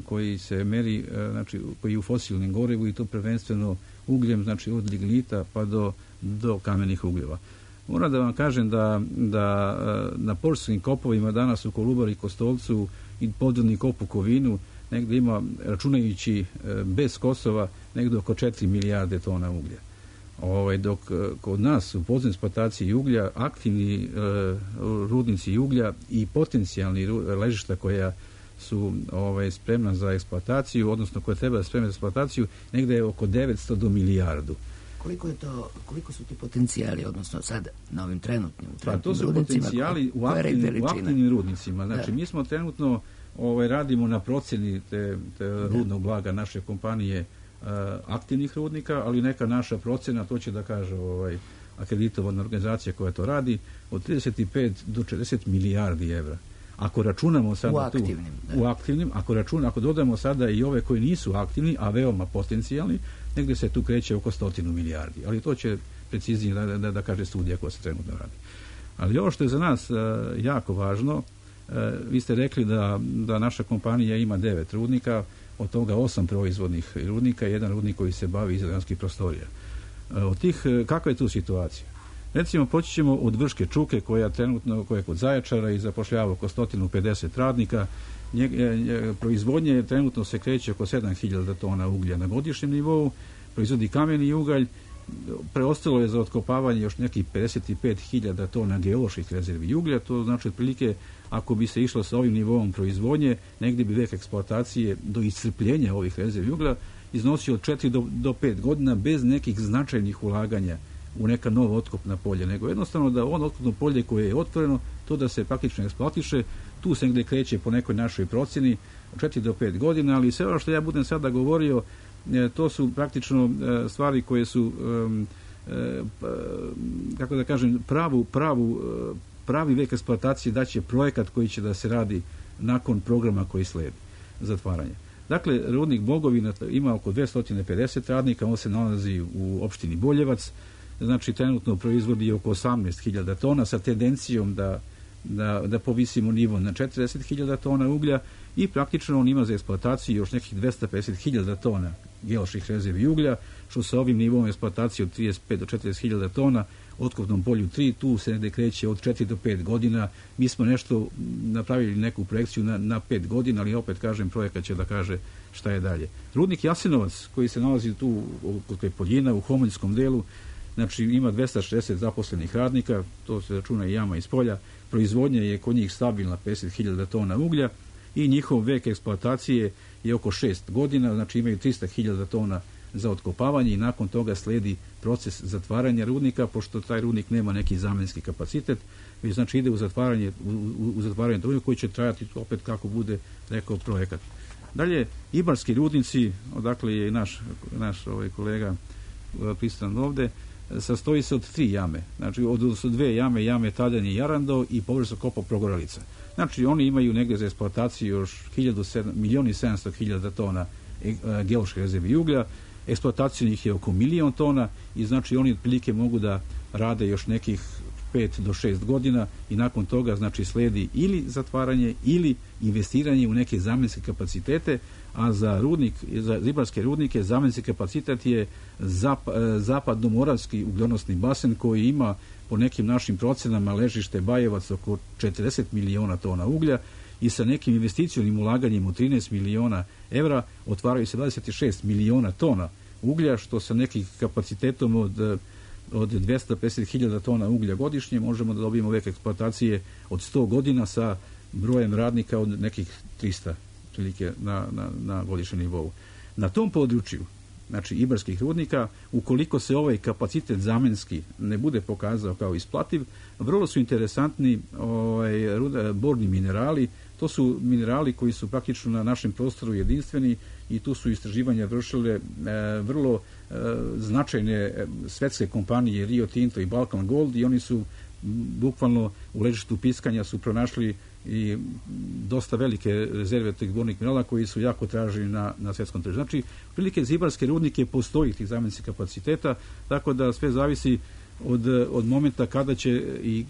koji se meri, znači, koji je u fosilnim gorivu, i to prvenstveno ugljem, znači od lignita pa do, do kamenih ugljeva. Moram da vam kažem da, da na poljskim kopovima danas u Kolubari i Kostolcu i podvodni kop u Kovinu negde ima, računajući bez Kosova, negde oko četiri milijarde tona uglja. Ovaj, dok kod nas u podzemnoj eksploataciji uglja, aktivni e, rudnici uglja i potencijalni ležišta koja su ovaj, spremna za eksploataciju, odnosno koja treba da spremna za eksploataciju, negde je oko devetsto do milijardu. Koliko je to, koliko su ti potencijali, odnosno sad na ovim trenutnim, trenutnim pa to su rudnicima, potencijali u aktivnim, u aktivnim rudnicima. Znači, da. Mi smo trenutno ovaj, radimo na procjeni te, te da. rudnog blaga naše kompanije, uh, aktivnih rudnika, ali neka naša procjena, to će da kaže ovaj, akreditovana organizacija koja to radi, od trideset pet do četrdeset milijardi evra. Ako računamo sada u aktivnim, tu, da. u aktivnim, ako računamo, ako dodamo sada i ove koji nisu aktivni, a veoma potencijalni, negde se tu kreće oko stotinu milijardi. Ali to će preciznije da, da, da kaže studija koja se trenutno radi. Ali ovo što je za nas jako važno, vi ste rekli da, da naša kompanija ima devet rudnika, od toga osam proizvodnih rudnika i jedan rudnik koji se bavi izraelskih prostorija. Od tih, kakva je tu situacija? Recimo, poći ćemo od Vrške Čuke, koja trenutno, koja je kod Zaječara i zapošljava oko sto pedeset radnika. Nje, nje, proizvodnje trenutno se kreće oko sedam hiljada tona uglja na godišnjem nivou, proizvodi kameni ugalj, preostalo je za otkopavanje još nekih pedeset pet hiljada tona geoloških rezervi uglja, to znači otprilike ako bi se išlo sa ovim nivoom proizvodnje, negdje bi vek eksploatacije do iscrpljenja ovih rezervi uglja iznosio od četiri do pet godina bez nekih značajnih ulaganja u neka nova otkopna polja, nego jednostavno da on otkopno polje koje je otvoreno, to da se praktično eksploatiše, tu se negdje kreće po nekoj našoj procjeni četiri do pet godina, ali sve ono što ja budem sada govorio, to su praktično stvari koje su, kako da kažem, pravu, pravu, pravi vek eksploatacije daće projekat koji će da se radi nakon programa koji sledi zatvaranja. Dakle, rudnik Bogovina ima oko dvesta pedeset radnika, on se nalazi u opštini Boljevac, znači trenutno proizvodi oko osamnaest hiljada tona sa tendencijom da, da, da povisimo nivo na četrdeset hiljada tona uglja i praktično on ima za eksploataciju još nekih dvesta pedeset hiljada tona geoloških rezervi uglja, što sa ovim nivom eksploatacije od trideset pet do četrdeset hiljada tona, otkopnom polju tri, tu se negde kreće od četiri do pet godina. Mi smo nešto napravili neku projekciju na, na pet godina, ali opet kažem, projekat će da kaže šta je dalje. Rudnik Jasenovac, koji se nalazi tu kod Poljina u Homoljskom delu, znači ima dvesta šezdeset zaposlenih radnika, to se računa i jama iz polja, proizvodnja je kod njih stabilna pedeset hiljada tona uglja i njihov vek eksploatacije je oko šest godina, znači imaju trista hiljada tona za otkopavanje i nakon toga sledi proces zatvaranja rudnika, pošto taj rudnik nema neki zamenski kapacitet, već znači ide u zatvaranje, u, u, u zatvaranje rudnika koji će trajati opet kako bude rekao projekat. Dalje, Ibarski rudnici, odakle je i naš, naš ovaj kolega prisutan ovde, sastoji se od tri jame, znači od su dve jame, jame Taljan i Jarando i površno kopa Progoralica. Znači oni imaju negdje za eksploataciju još milion i sedamsto hiljada tona geološke rezervi uglja, eksploatacija njih je oko milion tona i znači oni otprilike mogu da rade još nekih pet do šest godina i nakon toga znači sledi ili zatvaranje ili investiranje u neke zamenske kapacitete, a za rudnik, za ibarske rudnike zamenski kapacitet je zap, zapadno-moravski ugljonosni basen koji ima po nekim našim procenama ležište Bajevac oko četrdeset miliona tona uglja i sa nekim investicionim ulaganjem u trinaest miliona evra otvaraju se dvadeset šest miliona tona uglja, što sa nekim kapacitetom od od dvesta pedeset hiljada tona uglja godišnje možemo da dobijemo vek eksploatacije od sto godina sa brojem radnika od nekih trista prilike na, na, na godišnjem nivou. Na tom području, znači ibarskih rudnika, ukoliko se ovaj kapacitet zamenski ne bude pokazao kao isplativ, vrlo su interesantni ovaj, ruda, borni minerali. To su minerali koji su praktično na našem prostoru jedinstveni i tu su istraživanja vršile e, vrlo e, značajne e, svetske kompanije Rio Tinto i Balkan Gold i oni su bukvalno u ležištu piskanja su pronašli i dosta velike rezerve tih bornih minerala koji su jako traženi na, na svetskom tržištu. Znači, prilike za ibarske rudnike postoji tih zamenskih kapaciteta, tako da sve zavisi od, od momenta kada će i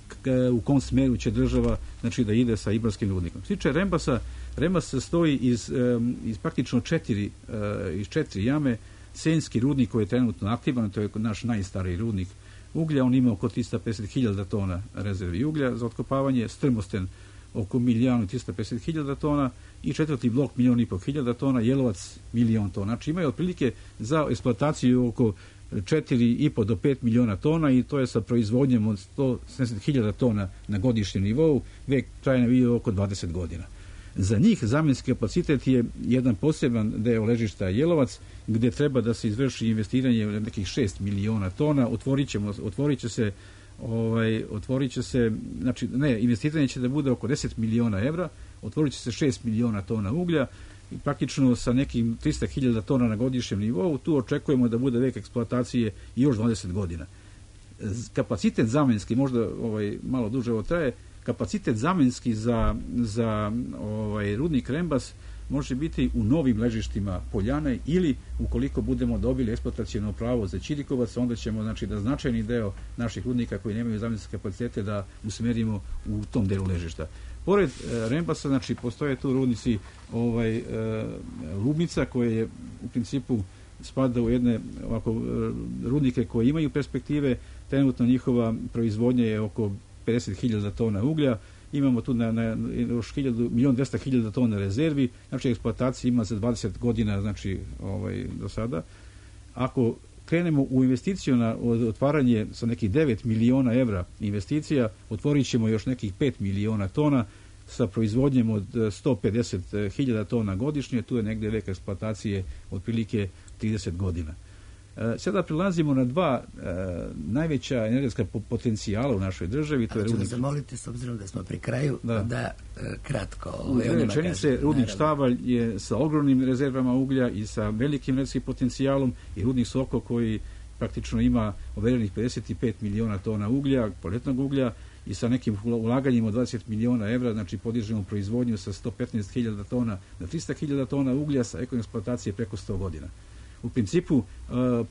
u kom smeru će država znači da ide sa ibarskim rudnikom. Sliče Rembasa, Rembas se stoji iz, iz praktično četiri, iz četiri jame. Senjski rudnik koji je trenutno aktivan, to je naš najstariji rudnik uglja, on ima oko trista pedeset hiljada tona rezervi uglja za otkopavanje, Strmosten oko milion i trista pedeset hiljada tona i četvrti blok milion i pol hiljada tona, Jelovac milion tona. Znači imaju otprilike za eksploataciju oko četiri i po do pet miliona tona i to je sa proizvodnjom od sto sedamdeset hiljada tona na godišnjem nivou, vek trajanja bio oko dvadeset godina. Za njih zamenski kapacitet je jedan poseban deo ležišta Jelovac, gdje treba da se izvrši investiranje u nekih šest miliona tona, otvorit ćemo, otvorit će se ovaj, otvorit će se, znači, ne, investiranje će da bude oko deset miliona evra, otvorit će se šest miliona tona uglja i praktično sa nekim trista hiljada tona na godišnjem nivou, tu očekujemo da bude vek eksploatacije i još dvadeset godina. Kapacitet zamenski, možda ovaj, malo duže ovo traje, kapacitet zamenski za, za ovaj, rudnik Rembas može biti u novim ležištima Poljane ili ukoliko budemo dobili eksploataciono pravo za Ćirikovac, onda ćemo znači da značajni deo naših rudnika koji nemaju zamenske kapacitete da usmerimo u tom delu ležišta. Pored e, Rembasa, znači postoje tu rudnici ovaj e, Lubnica koje je u principu spada u jedne ovako rudnike koje imaju perspektive. Trenutno njihova proizvodnja je oko pedeset hiljada tona uglja. Imamo tu na, na još milion dvesta hiljada tona rezervi, znači eksploatacija ima za dvadeset godina, znači ovaj, do sada. Ako krenemo u investiciju na otvaranje sa nekih devet miliona evra investicija, otvorit ćemo još nekih pet miliona tona sa proizvodnjem od sto pedeset hiljada tona godišnje, tu je negde vek eksploatacije otprilike trideset godina. Sada prilazimo na dva e, najveća energetska potencijala u našoj državi. To je ću rudnik. da zamoliti, s obzirom da smo pri kraju, da, da e, kratko... U dve rečenice, rudnik Štavalj je sa ogromnim rezervama uglja i sa velikim energetskim potencijalom i rudnik Soko koji praktično ima overenih pedeset pet miliona tona uglja, poletnog uglja i sa nekim ulaganjima od dvadeset miliona evra, znači podižemo proizvodnju sa sto petnaest hiljada tona na trista hiljada tona uglja sa ekonomske eksploatacije preko sto godina. U principu uh,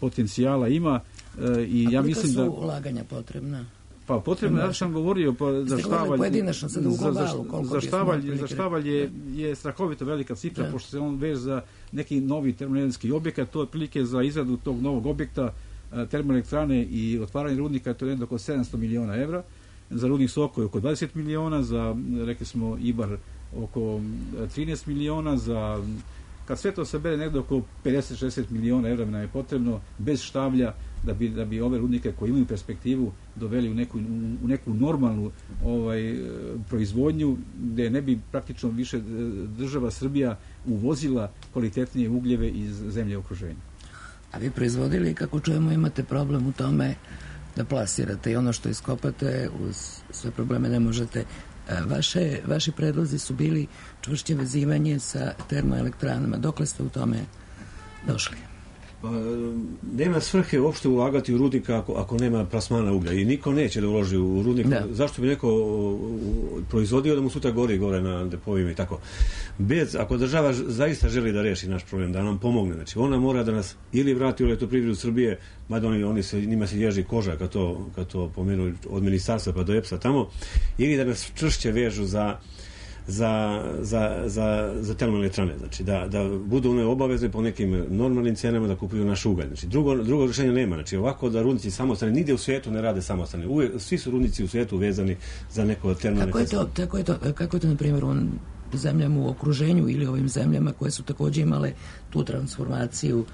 potencijala ima uh, i a ja mislim da... A koliko su ulaganja potrebna? Pa potrebno, ja sam govorio pa, za Štavalj... Pojedinačno sad u globalu, za, za, Štavalj, za Štavalj je, je strahovito velika cifra, da. Pošto se on već za neki novi termoenergetski objekat, to je prilike za izradu tog novog objekta uh, termoelektrane i otvaranje rudnika, to je jedno oko sedamsto miliona evra. Za rudnik Soko je oko dvadeset miliona, za, rekli smo, Ibar oko trinaest miliona, za... Kad sve to se bere negdje oko pedeset do šezdeset miliona evra nam je potrebno bez Štavlja da bi, da bi ove rudnike koji imaju perspektivu doveli u neku, u neku normalnu ovaj, proizvodnju gdje ne bi praktično više država Srbija uvozila kvalitetnije ugljeve iz zemlje okruženja. A vi proizvodili, kako čujemo, imate problem u tome da plasirate i ono što iskopate uz sve probleme ne možete. Vaše, vaši predlozi su bili čvršće vezivanje sa termoelektranama. Dokle ste u tome došli? Pa, nema svrhe uopšte ulagati u rudnik ako, ako nema plasmana uglja i niko neće da uloži u rudnik. Da. Zašto bi neko proizvodio da mu sutra gori gore na depovima i tako. Bez, ako država zaista želi da reši naš problem, da nam pomogne, znači ona mora da nas ili vrati u elektroprivredu Srbije, mada oni, oni se, njima se ježi koža kad to, kad to pomenu od ministarstva pa do E P S-a tamo, ili da nas čvršće vežu za za, za, za, za termoelektrane, znači da, da budu one obavezne po nekim normalnim cenama da kupuju naš ugalj. Znači drugo, drugo rješenje nema, znači ovako da rudnici samostane, nigde u svijetu ne rade samostane. Uvijek, svi su rudnici u svijetu vezani za neko termoelektrane. Kako je to, kako je to, kako je to na primjer u zemljama u okruženju ili ovim zemljama koje su također imale tu transformaciju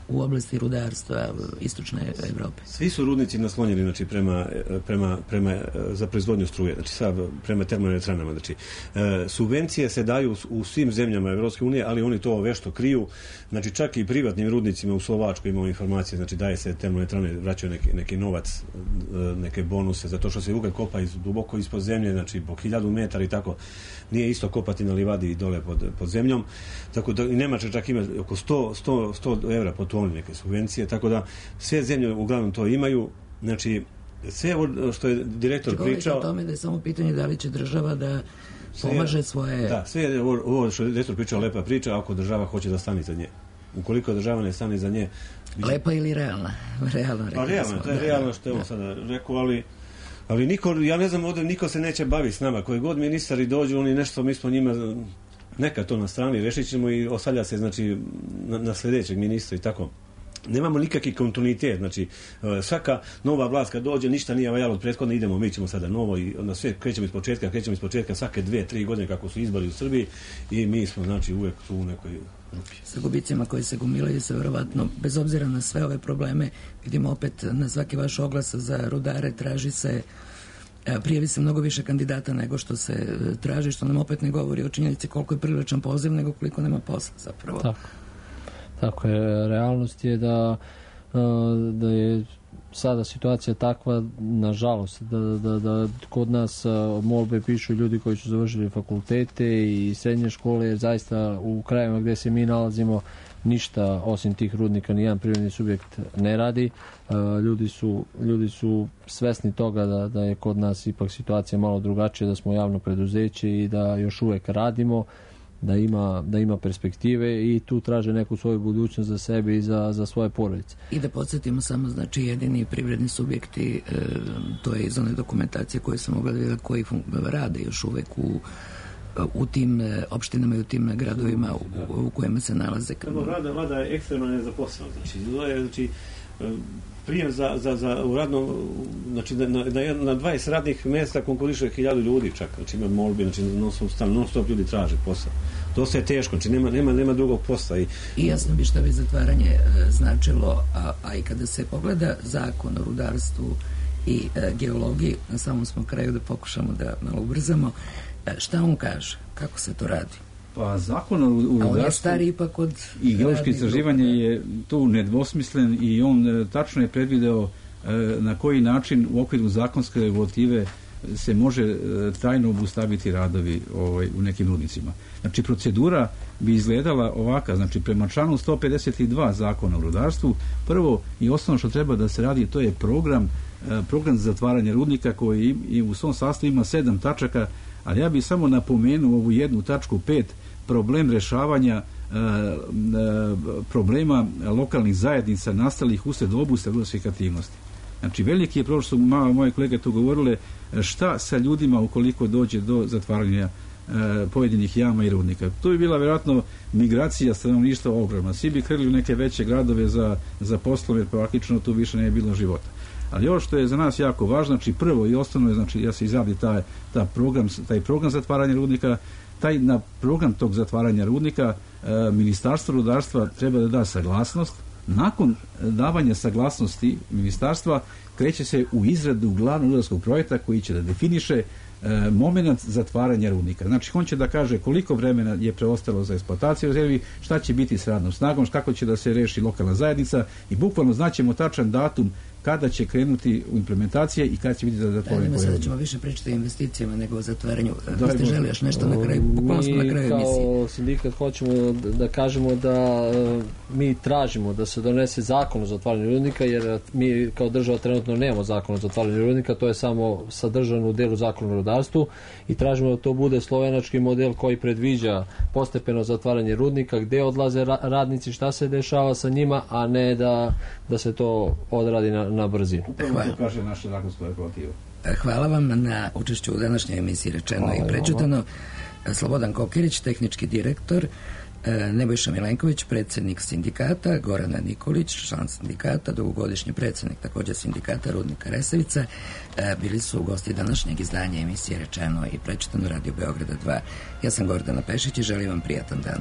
u oblasti rudarstva istočne Evrope? Svi su rudnici naslonjeni znači, prema, prema, prema, za proizvodnju struje, znači sad prema termoelektranama. Znači, e, subvencije se daju u, u svim zemljama Evropske unije, ali oni to vešto kriju. Znači, čak i privatnim rudnicima u Slovačkoj imamo informacije, znači daje se termoelektrane, vraćaju neki, neki novac, neke bonuse, zato što se ugalj kopa iz, duboko ispod zemlje, znači po hiljadu metara i tako. Nije isto kopati na livadi i dole pod, pod zemljom. Tako da i Nemačka čak ima oko sto, sto, sto evra po toni neke subvencije, tako da sve zemlje uglavnom to imaju. Znači, sve ovo što je direktor Govorite pričao... o tome da je samo pitanje da li će država da pomaže svoje... Da, sve je ovo, ovo što je direktor pričao lepa priča, ako država hoće da stane za nje. Ukoliko država ne stane za nje... Biće... Lepa ili realna? Realno, pa realno, to je realno što je on sada rekao, ali... Ali niko, ja ne znam, ovdje niko se neće baviti s nama. Koji god ministari dođu, oni nešto, mi smo njima... Neka to na strani, rešit ćemo i osalja se, znači, na, na sljedećeg ministra i tako. Nemamo nikakvi kontinuitet, znači svaka nova vlast kad dođe, ništa nije valjalo od prethodne, idemo, mi ćemo sada novo i onda sve krećemo iz početka, krećemo iz početka svake dve, tri godine kako su izbori u Srbiji i mi smo, znači, uvek tu u nekoj rupi. Sa gubicima koji se gomilaju se verovatno, bez obzira na sve ove probleme, vidimo opet na svaki vaš oglas za rudare traži se prijavi se mnogo više kandidata nego što se traži, što nam opet ne govori o činjenici koliko je priličan poziv, nego koliko nema posla zapravo. Tako, tako je. Realnost je da, da je sada situacija takva, nažalost, da, da, da kod nas molbe pišu ljudi koji su završili fakultete i srednje škole, jer zaista u krajevima gdje se mi nalazimo ništa osim tih rudnika, nijedan privredni subjekt ne radi. Ljudi su, ljudi su svesni toga da, da je kod nas ipak situacija malo drugačija, da smo javno preduzeće i da još uvek radimo. da ima, da ima perspektive i tu traže neku svoju budućnost za sebe i za, za svoje porodice. I da podsjetimo samo, znači jedini privredni subjekti, e, to je iz one dokumentacije koje sam ogledala, koji rade još uvek u u tim opštinama i u tim gradovima u, u kojima se nalaze. Vlada, vlada je ekstremno nezaposlena. Znači, znači prijem za, za, za u radno, znači na, na, na dvadeset radnih mjesta konkuriše hiljadu ljudi čak, znači ima molbi, znači non stop, non stop ljudi traže posao. Dosta je teško, znači nema, nema, nema drugog posla. I, I jasno bi šta bi zatvaranje e, značilo, a, a i kada se pogleda zakon o rudarstvu i e, geologiji, na samom smo kraju da pokušamo da malo ubrzamo, e, šta on kaže, kako se to radi? Pa zakon o rudarstvu... A on je stari ipak od... I geološko istraživanje je tu nedvosmislen i on e, tačno je predvideo e, na koji način u okviru zakonske regulative se može e, trajno obustaviti radovi ovaj, u nekim rudnicima. Znači, procedura bi izgledala ovaka, znači, prema članu sto pedeset dva zakona o rudarstvu, prvo i osnovno što treba da se radi, to je program, e, program za zatvaranje rudnika koji i, i u svom sastavu ima sedam tačaka, ali ja bih samo napomenuo ovu jednu tačku pet, problem rešavanja e, e, problema lokalnih zajednica nastalih usred obusta rudarskih aktivnosti. Znači, veliki je problem, što su moje kolege tu govorile, šta sa ljudima ukoliko dođe do zatvaranja e, pojedinih jama i rudnika. To bi bila vjerojatno migracija stanovništva ogromna. Svi bi krili u neke veće gradove za, za poslove, jer praktično tu više ne je bilo života. Ali ovo što je za nas jako važno, znači prvo i osnovno je, znači, ja se izradi taj, taj, program, taj program zatvaranja rudnika, taj na program tog zatvaranja rudnika e, Ministarstvo rudarstva treba da da saglasnost. Nakon davanja saglasnosti ministarstva kreće se u izradu glavnog rudarskog projekta koji će da definiše e, moment zatvaranja rudnika. Znači, on će da kaže koliko vremena je preostalo za eksploataciju rezervi, šta će biti s radnom snagom, kako će da se reši lokalna zajednica i bukvalno znaćemo tačan datum kada će krenuti u implementacije i kada će biti za zatvorenje. Da, sada ćemo više pričati o investicijama nego o zatvaranju. Da, ste želi još nešto na kraju? Bukvalno smo na kraju emisije. Mi kao sindikat hoćemo da, da kažemo da uh, mi tražimo da se donese zakon o zatvaranju rudnika, jer mi kao država trenutno nemamo zakon o zatvaranju rudnika, to je samo sadržano u delu zakona o rudarstvu i tražimo da to bude slovenački model koji predviđa postepeno zatvaranje rudnika, gde odlaze ra- radnici, šta se dešava sa njima, a ne da, da se to odradi na na brzinu. Upravo to kaže naša zakonska regulativa. Hvala vam na učešću u današnjoj emisiji Rečeno Hvala i prečutano. Slobodan Kokirić, tehnički direktor, Nebojša Milenković, predsjednik sindikata, Gorana Nikolić, član sindikata, dugogodišnji predsjednik također sindikata Rudnika Resavica, bili su gosti današnjeg izdanja emisije Rečeno i prečutano Radio Beograda dva. Ja sam Gordana Pešić i želim vam prijatan dan.